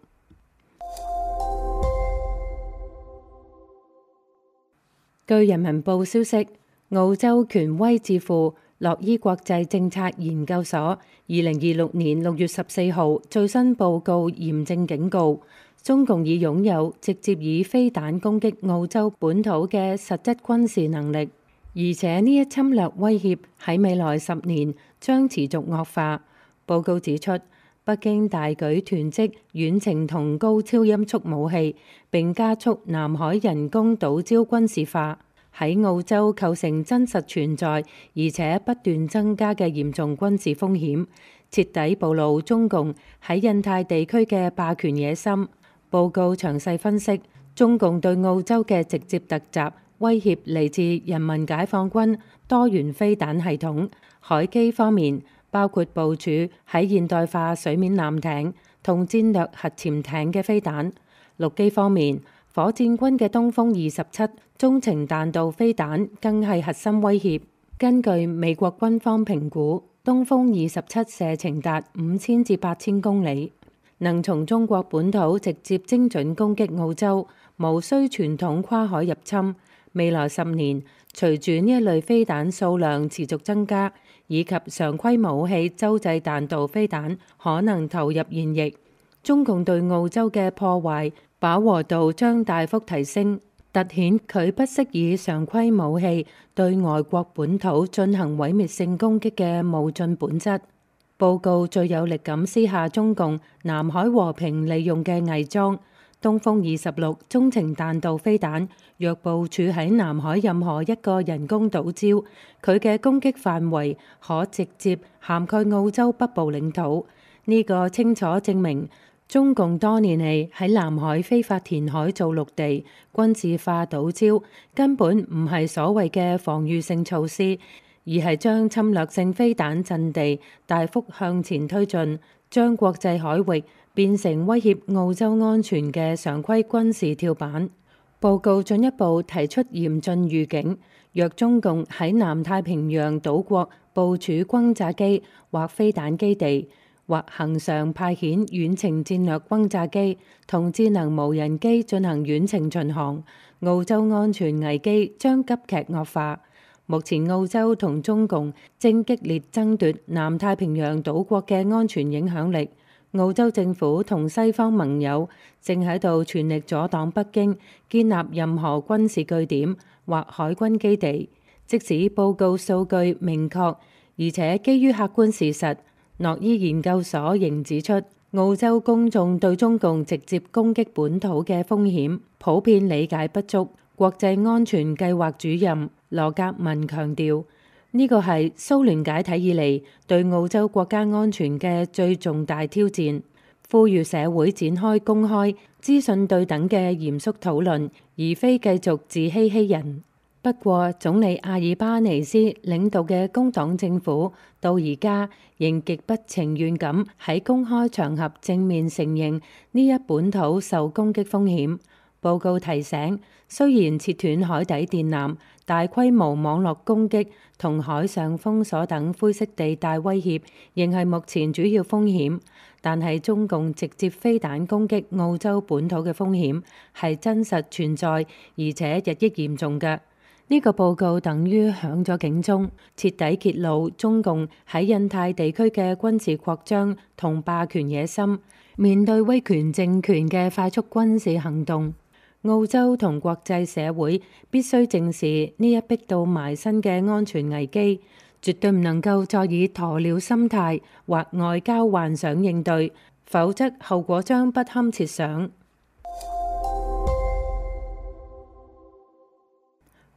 據人民報消息，澳洲權威智庫洛伊國際政策研究所2026年6月14號最新報告嚴正警告，中共已擁有直接以飛彈攻擊澳洲本土嘅實質軍事能力，而且呢一侵略威脅喺未來10年將持續惡化。報告指出，北京大舉囤積遠程同高超音速武器，並加速南海人工島礁軍事化，喺澳洲構成真實存在而且不斷增加嘅嚴重軍事風險，徹底暴露中共喺印太地區嘅霸權野心。報告詳細分析中共對澳洲嘅直接突襲威脅嚟自人民解放軍多元飛彈系統，海基方面包括部署喺現代化水面艦艇同戰略核潛艇嘅飛彈；陸基方面，火箭軍嘅東風27中程彈道飛彈更係核心威脅。根據美國軍方評估，東風27射程達5000至8000公里，能從中國本土直接精準攻擊澳洲，無需傳統跨海入侵。未來10年，隨住呢一類飛彈數量持續增加，以及常規武器洲際彈道飛彈可能投入現役，中共對澳洲嘅破壞飽和度將大幅提升，凸顯佢不惜以常規武器對外國本土進行毀滅性攻擊嘅冒進本質。報告最有力咁撕下中共南海和平利用嘅偽裝。東風26中程彈道飛彈若部署喺南海任何一個人工島礁，佢嘅攻擊範圍可直接涵蓋澳洲北部領土。呢個清楚證明中共多年嚟喺南海非法填海造陸地、軍事化島礁，根本唔係所謂嘅防禦性措施，而係將侵略性飛彈陣地大幅向前推進，將國際海域變成威脅澳洲安全嘅常規軍事跳板。報告進一步提出嚴峻預警，若中共喺南太平洋島國部署轟炸機或飛彈基地，或恆常派遣遠程戰略轟炸機同智能無人機進行遠程巡航，澳洲安全危機將急劇惡化。目前澳洲同中共正激烈爭奪南太平洋島國嘅安全影響力。澳洲政府同西方盟友正喺度全力阻擋北京建立任何軍事據點或海軍基地。即使報告數據明確，而且基於客觀事實，諾伊研究所仍指出，澳洲公眾對中共直接攻擊本土嘅風險普遍理解不足。國際安全計劃主任羅格文強調，呢個係蘇聯解體以嚟對澳洲國家安全嘅最重大挑戰，呼籲社會展開公開、資訊對等嘅嚴肅討論，而非繼續自欺欺人。不過，總理阿爾巴尼斯領導嘅工黨政府到而家仍極不情願咁喺公開場合正面承認呢一本土受攻擊風險。報告提醒，雖然切斷海底電纜、大規模網絡攻擊同海上封鎖等灰色地帶威脅仍係目前主要風險，但係中共直接飛彈攻擊澳洲本土嘅風險係真實存在，而且日益嚴重嘅。呢個報告等於響咗警鐘，徹底揭露中共喺印太地區嘅軍事擴張同霸權野心。面對威權政權嘅快速軍事行動，澳洲同國際社會必須正視呢一逼到埋身嘅安全危機，絕對唔能夠再以鴕鳥心態或外交幻想應對，否則後果將不堪設想。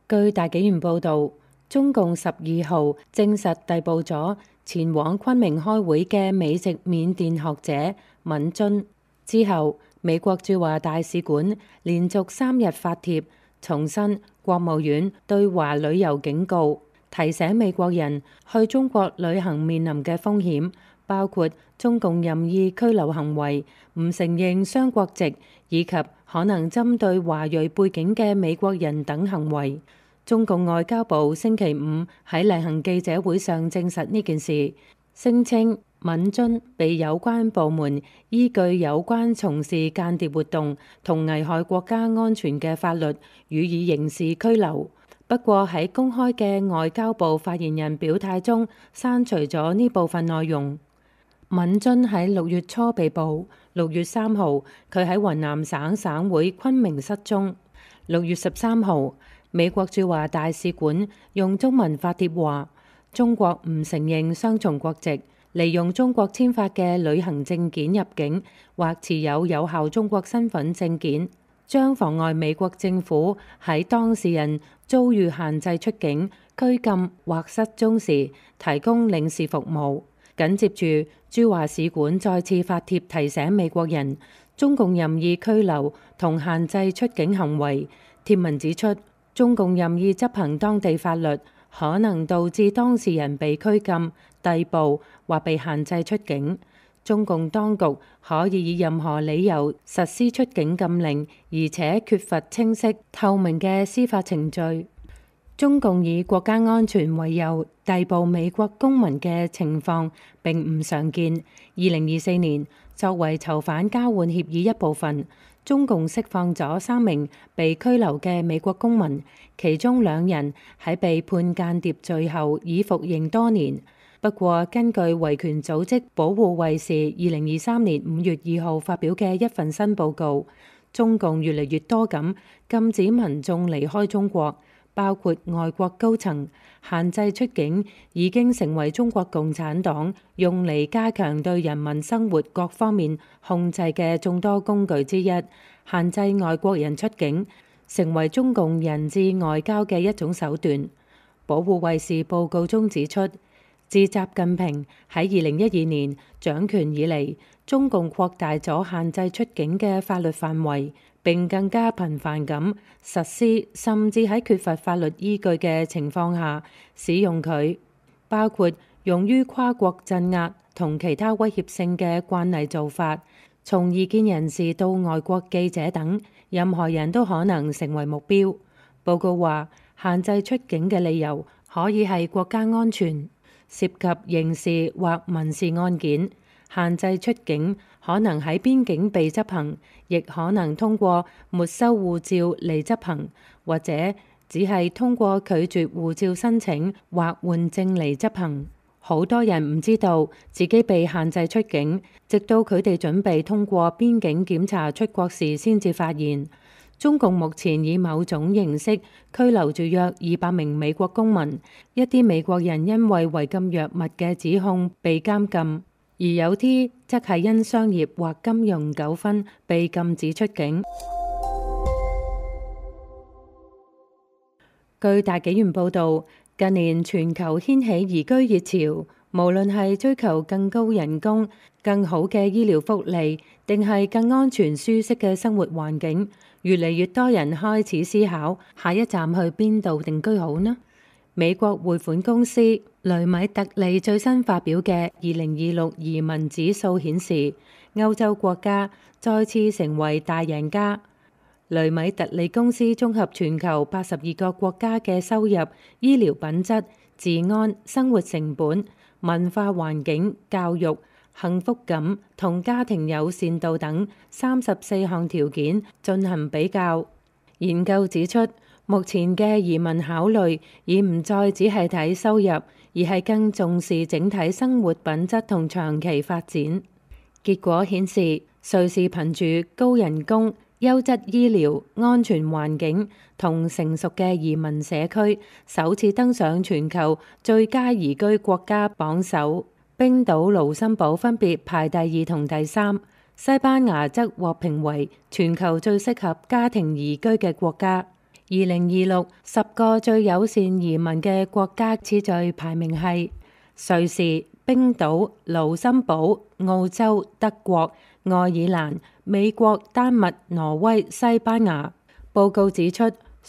據大紀元報導，中共12號證實逮捕咗前往昆明開會嘅美籍緬甸學者敏津之後，美國駐華大使館連續3日發帖，重申國務院對華旅遊警告，提醒美國人去中國旅行面臨嘅風險，包括中共任意拘留行為、唔承認雙國籍，以及可能針對華裔背景嘅美國人等行為。中共外交部星期五喺例行記者會上證實呢件事，聲稱敏津被有關部門依據有關從事間諜活動同危害國家安全嘅法律予以刑事拘留。不過喺公開嘅外交部發言人表態中刪除咗呢部分內容。敏津喺6月初被捕，6月3號佢喺雲南省省會昆明失蹤。6月13號，美國駐華大使館用中文發帖話，中國唔承認雙重國籍，利用中國簽發嘅旅行證件入境或持有有效中國身份證件，將妨礙美國政府喺當事人遭遇限制出境、拘禁或失蹤時提供領事服務。緊接住，駐華使館再次發帖提醒美國人，中共任意拘留同限制出境行為。帖文指出，中共任意執行當地法律，可能導致當事人被拘禁、逮捕或被限制出境。中共當局可以以任何理由實施出境禁令，而且缺乏清晰透明嘅司法程序。中共以國家安全為由逮捕美國公民嘅情況並唔常見。2024年，作為囚犯交換協議一部分，中共釋放咗3名被拘留嘅美國公民，其中2人喺被判間諜罪後已服刑多年。不過，根據維權組織保護衛士2023年5月2號發表嘅一份新報告，中共越嚟越多咁禁止民眾離開中國，包括外國高層，限制出境已經成為中國共產黨用嚟加強對人民生活各方面控制嘅眾多工具之一。限制外國人出境成為中共人質外交嘅一種手段。保護衛士報告中指出，自習近平喺2012年掌權以嚟，中共擴大咗限制出境嘅法律範圍，並更加頻繁咁實施，甚至喺缺乏法律依據嘅情況下使用佢，包括用於跨國鎮壓同其他威脅性嘅慣例做法。從異見人士到外國記者等，任何人都可能成為目標。報告話，限制出境嘅理由可以係國家安全，涉及刑事或民事案件。限制出境可能喺邊境被執行，亦可能通過沒收護照嚟執行，或者只係通過拒絕護照申請或換證嚟執行。好多人唔知道自己被限制出境，直到佢哋準備通過邊境檢查出國時先至發現。中共目前以某種形式拘留住約200名美國公民，一啲美國人因為違禁藥物嘅指控被監禁，而有啲則係因商業或金融糾紛被禁止出境。據大紀元報導，近年全球掀起移居熱潮，無論係追求更高人工、更好嘅醫療福利，定係更安全舒適嘅生活環境，越嚟越多人開始思考下一站去邊度定居好呢？美國匯款公司雷米特利最新發表嘅2026移民指數顯示，歐洲國家再次成為大贏家。雷米特利公司綜合全球82個國家嘅收入、醫療品質、治安、生活成本、文化環境、教育、幸福感同家庭友善度等34項條件進行比較。研究指出，目前嘅移民考慮已唔再只係睇收入，而係更重視整體生活品質同長期發展。結果顯示，瑞士憑住高人工、優質醫療、安全環境同成熟嘅移民社區，首次登上全球最佳宜居國家榜首。冰島、盧森堡分別排第2同第3，西班牙則獲評為全球最適合家庭宜居嘅國家。2026 10個最友善移民嘅國家次序排名係瑞士、冰島、盧森堡、澳洲、德國、愛爾蘭、美國、丹麥、挪威、西班牙。報告指出，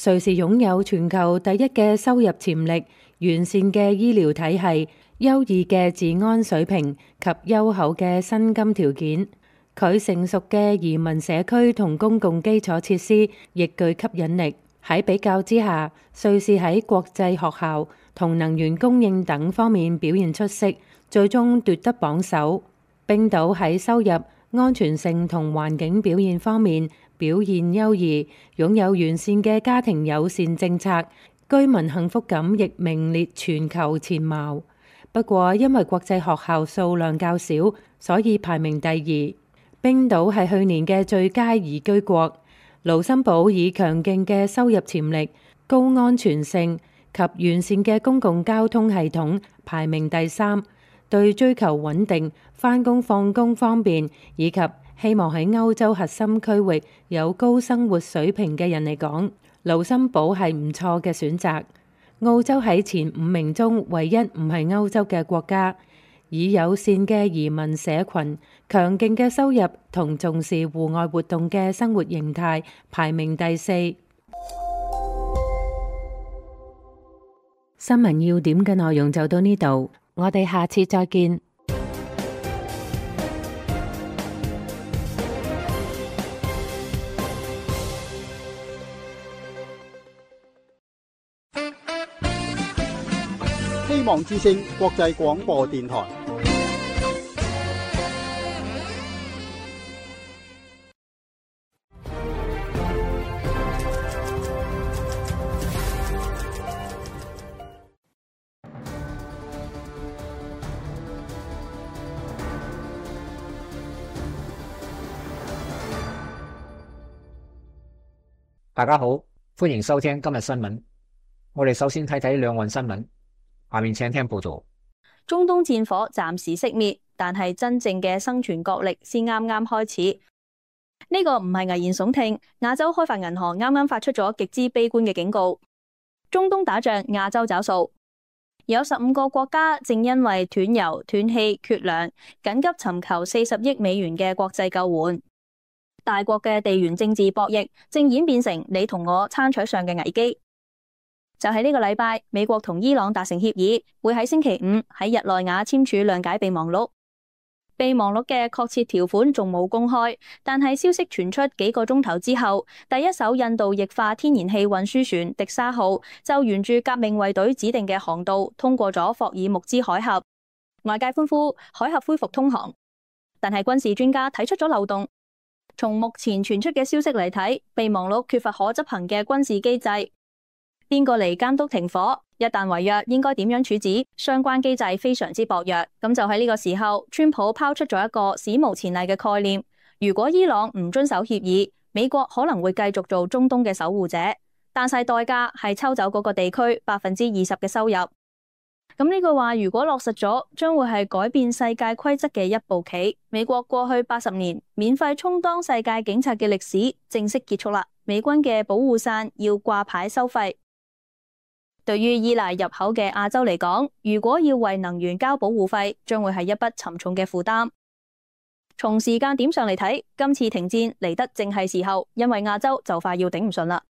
瑞士擁有全球第一嘅收入潛力、完善嘅醫療體系、優異嘅治安水平及優厚嘅薪金條件。佢成熟嘅移民社區同公共基礎設施亦具吸引力。喺比較之下，瑞士喺國際學校同能源供應等方面表現出色，最終奪得榜首。冰島喺收入、安全性同環境表現方面表現優異，擁有完善嘅家庭友善政策，居民幸福感亦名列全球前茅。不過因為國際學校數量較少，所以排名第2。冰島係去年嘅最佳宜居國。盧森堡以強勁嘅收入潛力、高安全性及完善嘅公共交通系統排名第3。對追求穩定、返工放工方便以及希望喺歐洲核心區域有高生活水平嘅人嚟講，盧森堡係唔錯嘅選擇。澳洲喺前5名中唯一唔係歐洲嘅國家，以友善嘅移民社群、強勁嘅收入同重視戶外活動嘅生活形態排名第4。新聞要點嘅內容就到呢度，我哋下次再見。希望之聲國際廣播電台。大家好，歡迎收聽今日新聞。我哋首先睇睇兩岸新聞。下面請聽報道。中東戰火暫時熄滅，但係真正嘅生存角力先啱啱開始。呢個唔係危言聳聽，亞洲開發銀行啱啱發出咗極之悲觀嘅警告。中東打仗，亞洲找數。有15個國家正因為斷油、斷氣、缺糧，緊急尋求40億美元嘅國際救援。大國嘅地緣政治博弈正演變成你同我餐桌上嘅危機。就喺呢個禮拜，美國同伊朗達成協議，會喺星期5喺日內瓦簽署諒解備忘錄。備忘錄嘅確切條款仲冇公開，但係消息傳出幾個鐘頭之後，第一艘印度液化天然氣運輸船迪沙號就沿住革命衛隊指定嘅航道通過咗霍爾木茲海峽，外界歡呼海峽恢復通航。但係軍事專家睇出咗漏洞。從目前傳出嘅消息嚟睇，備忘錄缺乏可執行嘅軍事機制。邊個嚟監督停火？一旦違約，應該點樣處置？相關機制非常之薄弱。咁就喺呢個時候，川普拋出咗一個史無前例嘅概念：如果伊朗唔遵守協議，美國可能會繼續做中東嘅守護者，但係代價係抽走嗰個地區20%嘅收入。咁呢句話如果落實咗，將會係改變世界規則嘅一步棋。美國過去80年免費充當世界警察嘅歷史正式結束啦。美軍嘅保護傘要掛牌收費。對於依賴入口嘅亞洲嚟講，如果要為能源交保護費，將會係一筆沉重嘅負擔。從時間點上嚟睇，今次停戰嚟得正係時候，因為亞洲就快要頂唔順啦。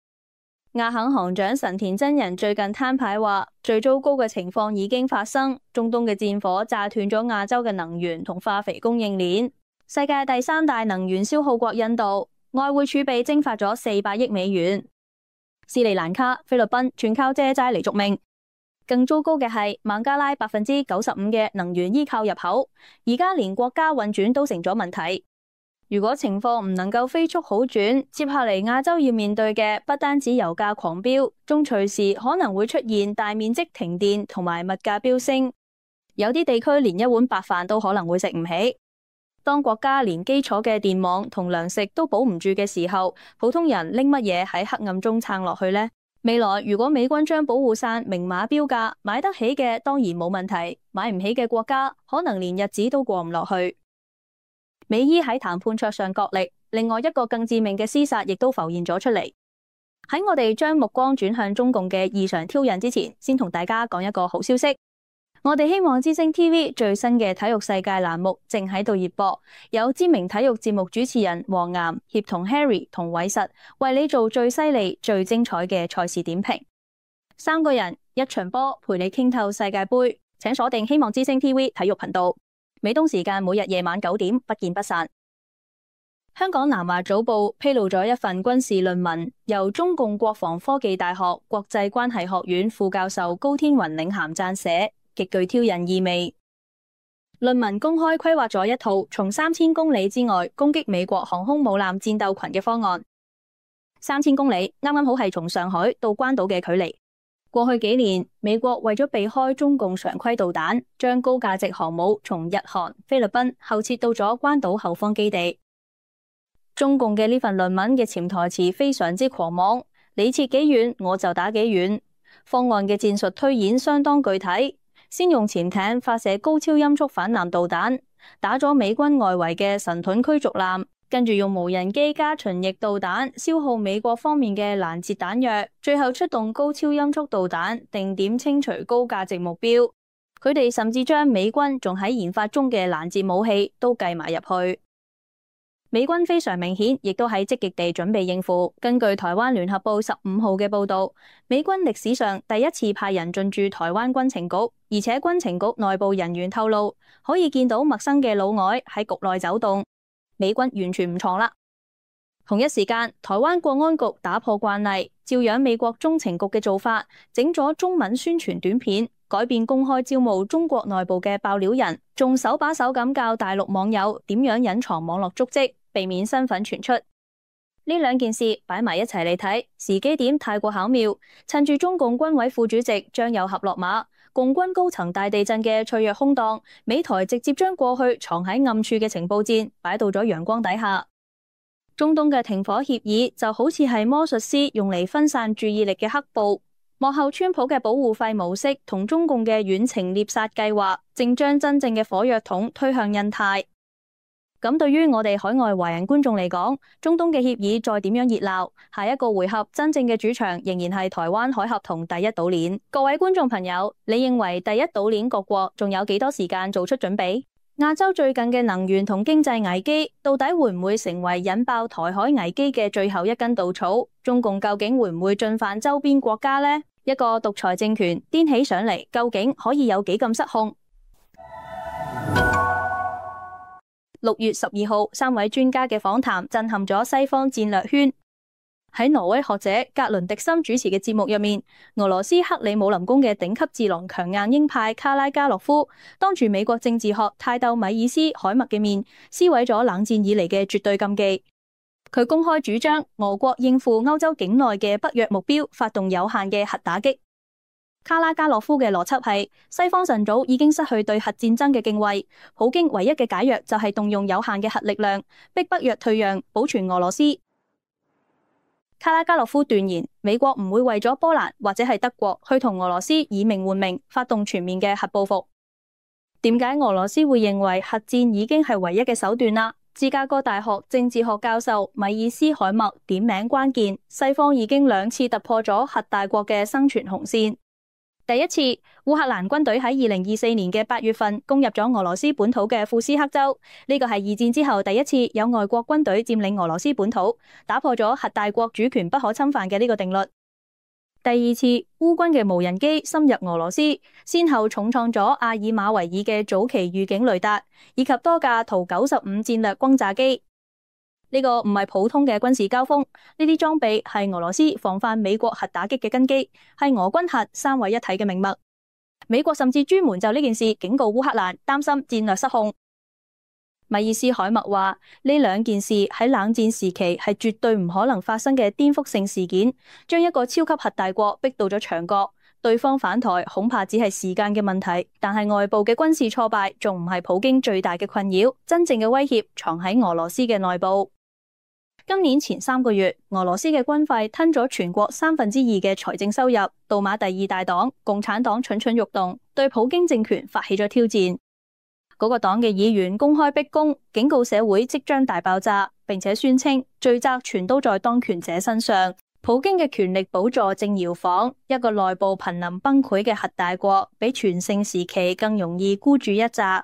亞行行長神田真人最近攤牌話，最糟糕嘅情況已經發生，中東嘅戰火炸斷咗亞洲嘅能源同化肥供應鏈。世界第3大能源消耗國印度，外匯儲備蒸發咗400億美元。斯里蘭卡、菲律賓全靠借債嚟續命。更糟糕嘅係孟加拉95%嘅能源依靠入口，而家連國家運轉都成咗問題。如果情況唔能夠飛速好轉，接下嚟亞洲要面對嘅不單止油價狂飆，仲隨時可能會出現大面積停電同埋物價飆升。有啲地區連一碗白飯都可能會食唔起。當國家連基礎嘅電網同糧食都保唔住嘅時候，普通人拎乜嘢喺黑暗中撐落去呢？未來如果美軍將保護傘明碼標價，買得起嘅當然冇問題，買唔起嘅國家可能連日子都過唔落去。美伊喺談判桌上角力，另外一個更致命嘅廝殺亦都浮現咗出嚟。喺我哋將目光轉向中共嘅異常挑釁之前，先同大家講一個好消息。我哋希望之聲 TV 最新嘅體育世界欄目正喺度熱播，有知名體育節目主持人黃岩協同 Harry 同偉實為你做最犀利、最精彩嘅賽事點評。三個人一場波陪你傾透世界盃，請鎖定希望之聲 TV 體育頻道，美東時間每日夜晚9點，不見不散。香港南華早報披露咗一份軍事論文，由中共國防科技大學國際關係學院副教授高天雲領銜撰寫，極具挑釁意味。論文公開規劃咗一套從3000公里之外攻擊美國航空母艦戰鬥群嘅方案。3000公里啱啱好係從上海到關島嘅距離。過去幾年，美國為咗避開中共常規導彈，將高價值航母從日韓、菲律賓後撤到咗關島後方基地。中共嘅呢份論文嘅潛台詞非常之狂妄，你撤幾遠我就打幾遠。方案嘅戰術推演相當具體，先用潛艇發射高超音速反艦導彈，打咗美軍外圍嘅神盾驅逐艦，跟住用無人機加巡弋導彈消耗美國方面嘅攔截彈藥，最後出動高超音速導彈定點清除高價值目標。佢哋甚至將美軍仲喺研發中嘅攔截武器都計埋入去。美軍非常明顯，亦都喺積極地準備應付。根據台灣聯合報15號嘅報道，美軍歷史上第一次派人進駐台灣軍情局，而且軍情局內部人員透露，可以見到陌生嘅老外喺局內走動。美軍完全唔藏啦。同一時間，台灣國安局打破慣例，照樣美國中情局嘅做法，整咗中文宣傳短片，改變公開招募中國內部嘅爆料人，仲手把手咁教大陸網友點樣隱藏網絡足跡，避免身份傳出。呢兩件事擺埋一齊嚟睇，時機點太過巧妙，趁住中共軍委副主席張又俠落馬，共軍高層大地震嘅脆弱空檔，美台直接將過去藏喺暗處嘅情報戰擺到咗陽光底下。中東嘅停火協議就好似係魔術師用嚟分散注意力嘅黑布，幕後川普嘅保護費模式同中共嘅遠程獵殺計劃，正將真正嘅火藥桶推向印太。咁對於我哋海外華人觀眾嚟講，中東嘅協議再點樣熱鬧，下一個回合真正嘅主場仍然係台灣海峽同第一島鏈。各位觀眾朋友，你認為第一島鏈各國仲有幾多時間做出準備？亞洲最近嘅能源同經濟危機，到底會唔會成為引爆台海危機嘅最後一根稻草？中共究竟會唔會進犯周邊國家呢？一個獨裁政權顛起上嚟，究竟可以有幾咁失控？6月12號，3位專家嘅訪談震撼咗西方戰略圈。喺挪威學者格倫迪森主持嘅節目入面，俄羅斯克里姆林宮嘅頂級智囊強硬鷹派卡拉加洛夫，當住美國政治學泰斗米爾斯海默嘅面，撕毀咗冷戰以嚟嘅絕對禁忌。佢公開主張俄國應付歐洲境內嘅北約目標，發動有限嘅核打擊。卡拉加洛夫嘅邏輯係，西方晨早已經失去對核戰爭嘅敬畏，普京唯一嘅解藥就係動用有限嘅核力量，逼北約退讓，保存俄羅斯。卡拉加洛夫斷言，美國唔會為咗波蘭或者係德國去同俄羅斯以命換命，發動全面嘅核報復。點解俄羅斯會認為核戰已經係唯一嘅手段啦？芝加哥大學政治學教授米爾斯海默點名關鍵，西方已經2次突破咗核大國嘅生存紅線。第一次，烏克蘭軍隊喺2024年嘅8月份攻入咗俄羅斯本土嘅庫斯克州，呢個係2戰之後第一次有外國軍隊佔領俄羅斯本土，打破咗核大國主權不可侵犯嘅呢個定律。第二次，烏軍嘅無人機深入俄羅斯，先後重創咗阿爾馬維爾嘅早期預警雷達，以及多架圖95戰略轟炸機。呢個唔係普通嘅軍事交鋒，呢啲裝備係俄羅斯防範美國核打擊嘅根基，係俄軍核三位一體嘅命脈。美國甚至專門就呢件事警告烏克蘭，擔心戰略失控。米爾斯海默話：呢2件事喺冷戰時期係絕對唔可能發生嘅顛覆性事件，將一個超級核大國逼到咗牆角，對方反台恐怕只係時間嘅問題。但係外部嘅軍事挫敗仲唔係普京最大嘅困擾，真正嘅威脅藏喺俄羅斯嘅內部。今年前3個月，俄羅斯嘅軍費吞咗全國2/3嘅財政收入，杜馬第2大黨共產黨蠢蠢欲動，對普京政權發起咗挑戰。嗰個黨嘅議員公開逼宮，警告社會即將大爆炸，並且宣稱罪責全都在當權者身上。普京嘅權力寶座正搖晃，一個內部瀕臨崩潰嘅核大國，比全盛時期更容易孤注一擲。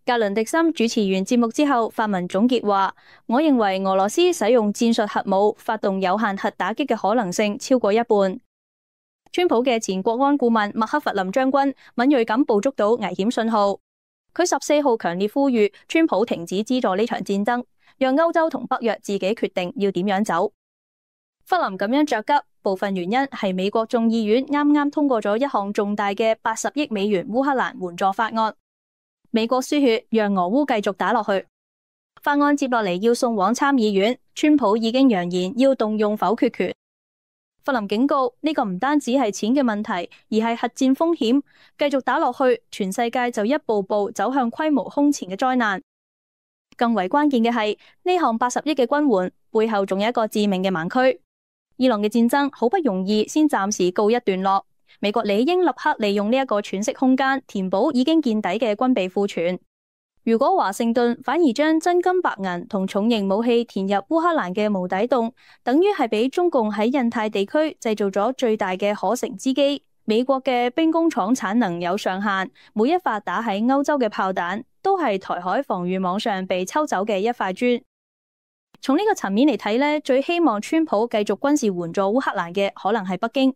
格倫迪森主持完節目之後發文總結話：我認為俄羅斯使用戰術核武發動有限核打擊嘅可能性超過一半。川普嘅前國安顧問麥克弗林將軍敏銳咁捕捉到危險信號，佢14號強烈呼籲川普停止資助呢場戰爭，讓歐洲同北約自己決定要點樣走。弗林咁樣着急，部分原因係美國眾議院啱啱通過咗一項重大嘅80億美元烏克蘭援助法案。美國輸血讓俄烏繼續打落去，法案接落嚟要送往參議院，川普已經揚言要動用否決權。弗林警告呢個唔單止係錢嘅問題，而係核戰風險，繼續打落去，全世界就一步步走向規模空前嘅災難。更為關鍵嘅係呢項80億嘅軍援背後仲有一個致命嘅盲區。伊朗嘅戰爭好不容易先暫時告一段落，美國理應立刻利用呢一個喘息空間，填補已經見底嘅軍備庫存。如果華盛頓反而將真金白銀同重型武器填入烏克蘭嘅無底洞，等於係俾中共喺印太地區製造咗最大嘅可乘之機。美國嘅兵工廠產能有上限，每一發打喺歐洲嘅炮彈都係台海防禦網上被抽走嘅一塊磚。從呢個層面嚟睇呢，最希望川普繼續軍事援助烏克蘭嘅可能係北京。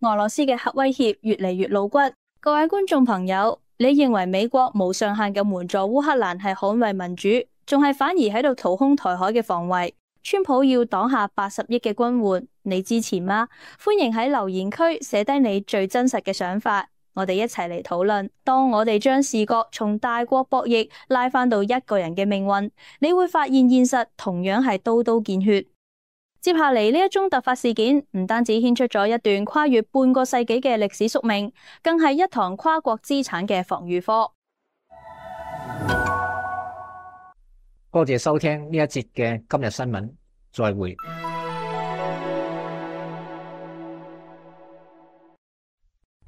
俄羅斯嘅核威脅越嚟越露骨。各位觀眾朋友，你認為美國無上限嘅援助烏克蘭係捍衛民主，仲係反而喺度掏空台海嘅防衛？川普要擋下80億嘅軍援，你支持嗎？歡迎喺留言區寫低你最真實嘅想法，我哋一齊嚟討論。當我哋將視覺從大國博弈拉返到一個人嘅命運，你會發現現實同樣係刀刀見血。接下嚟呢一宗突發事件，唔單止牽出咗一段跨越半個世紀嘅歷史宿命，更係一堂跨國資產嘅防禦課。多謝收聽呢一節嘅今日新聞，再會。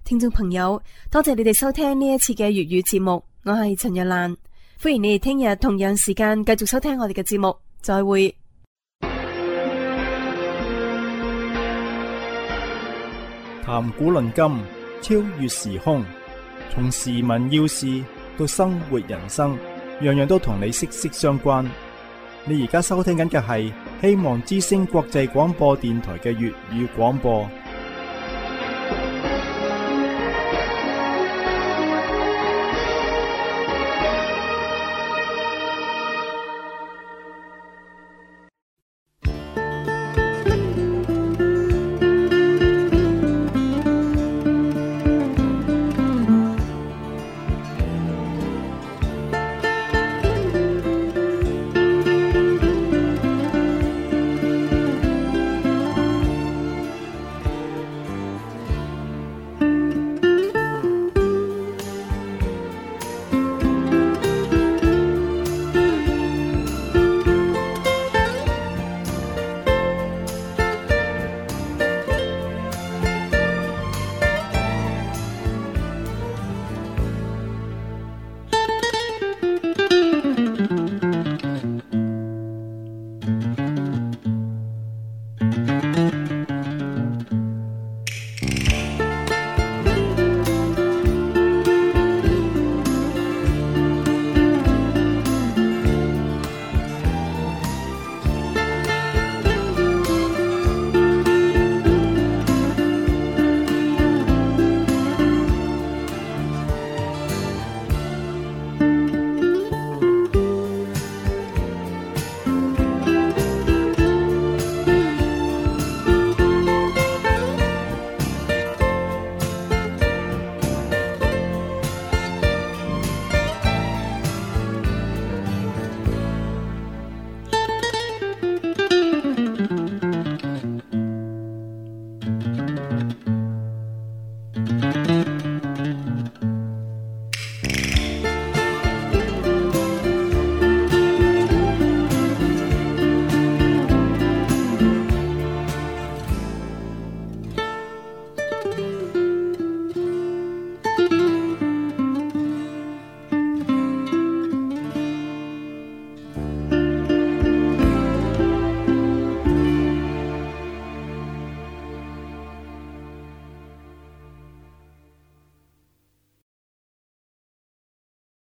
聽眾朋友，多謝你哋收聽呢一次嘅粵語節目，我係陳日蘭，歡迎你哋聽日同樣時間繼續收聽我哋嘅節目，再會。談古論今，超越時空，從時聞要事到生活人生，樣樣都同你息息相關。你而家收聽緊嘅係希望之聲國際廣播電台嘅粵語廣播。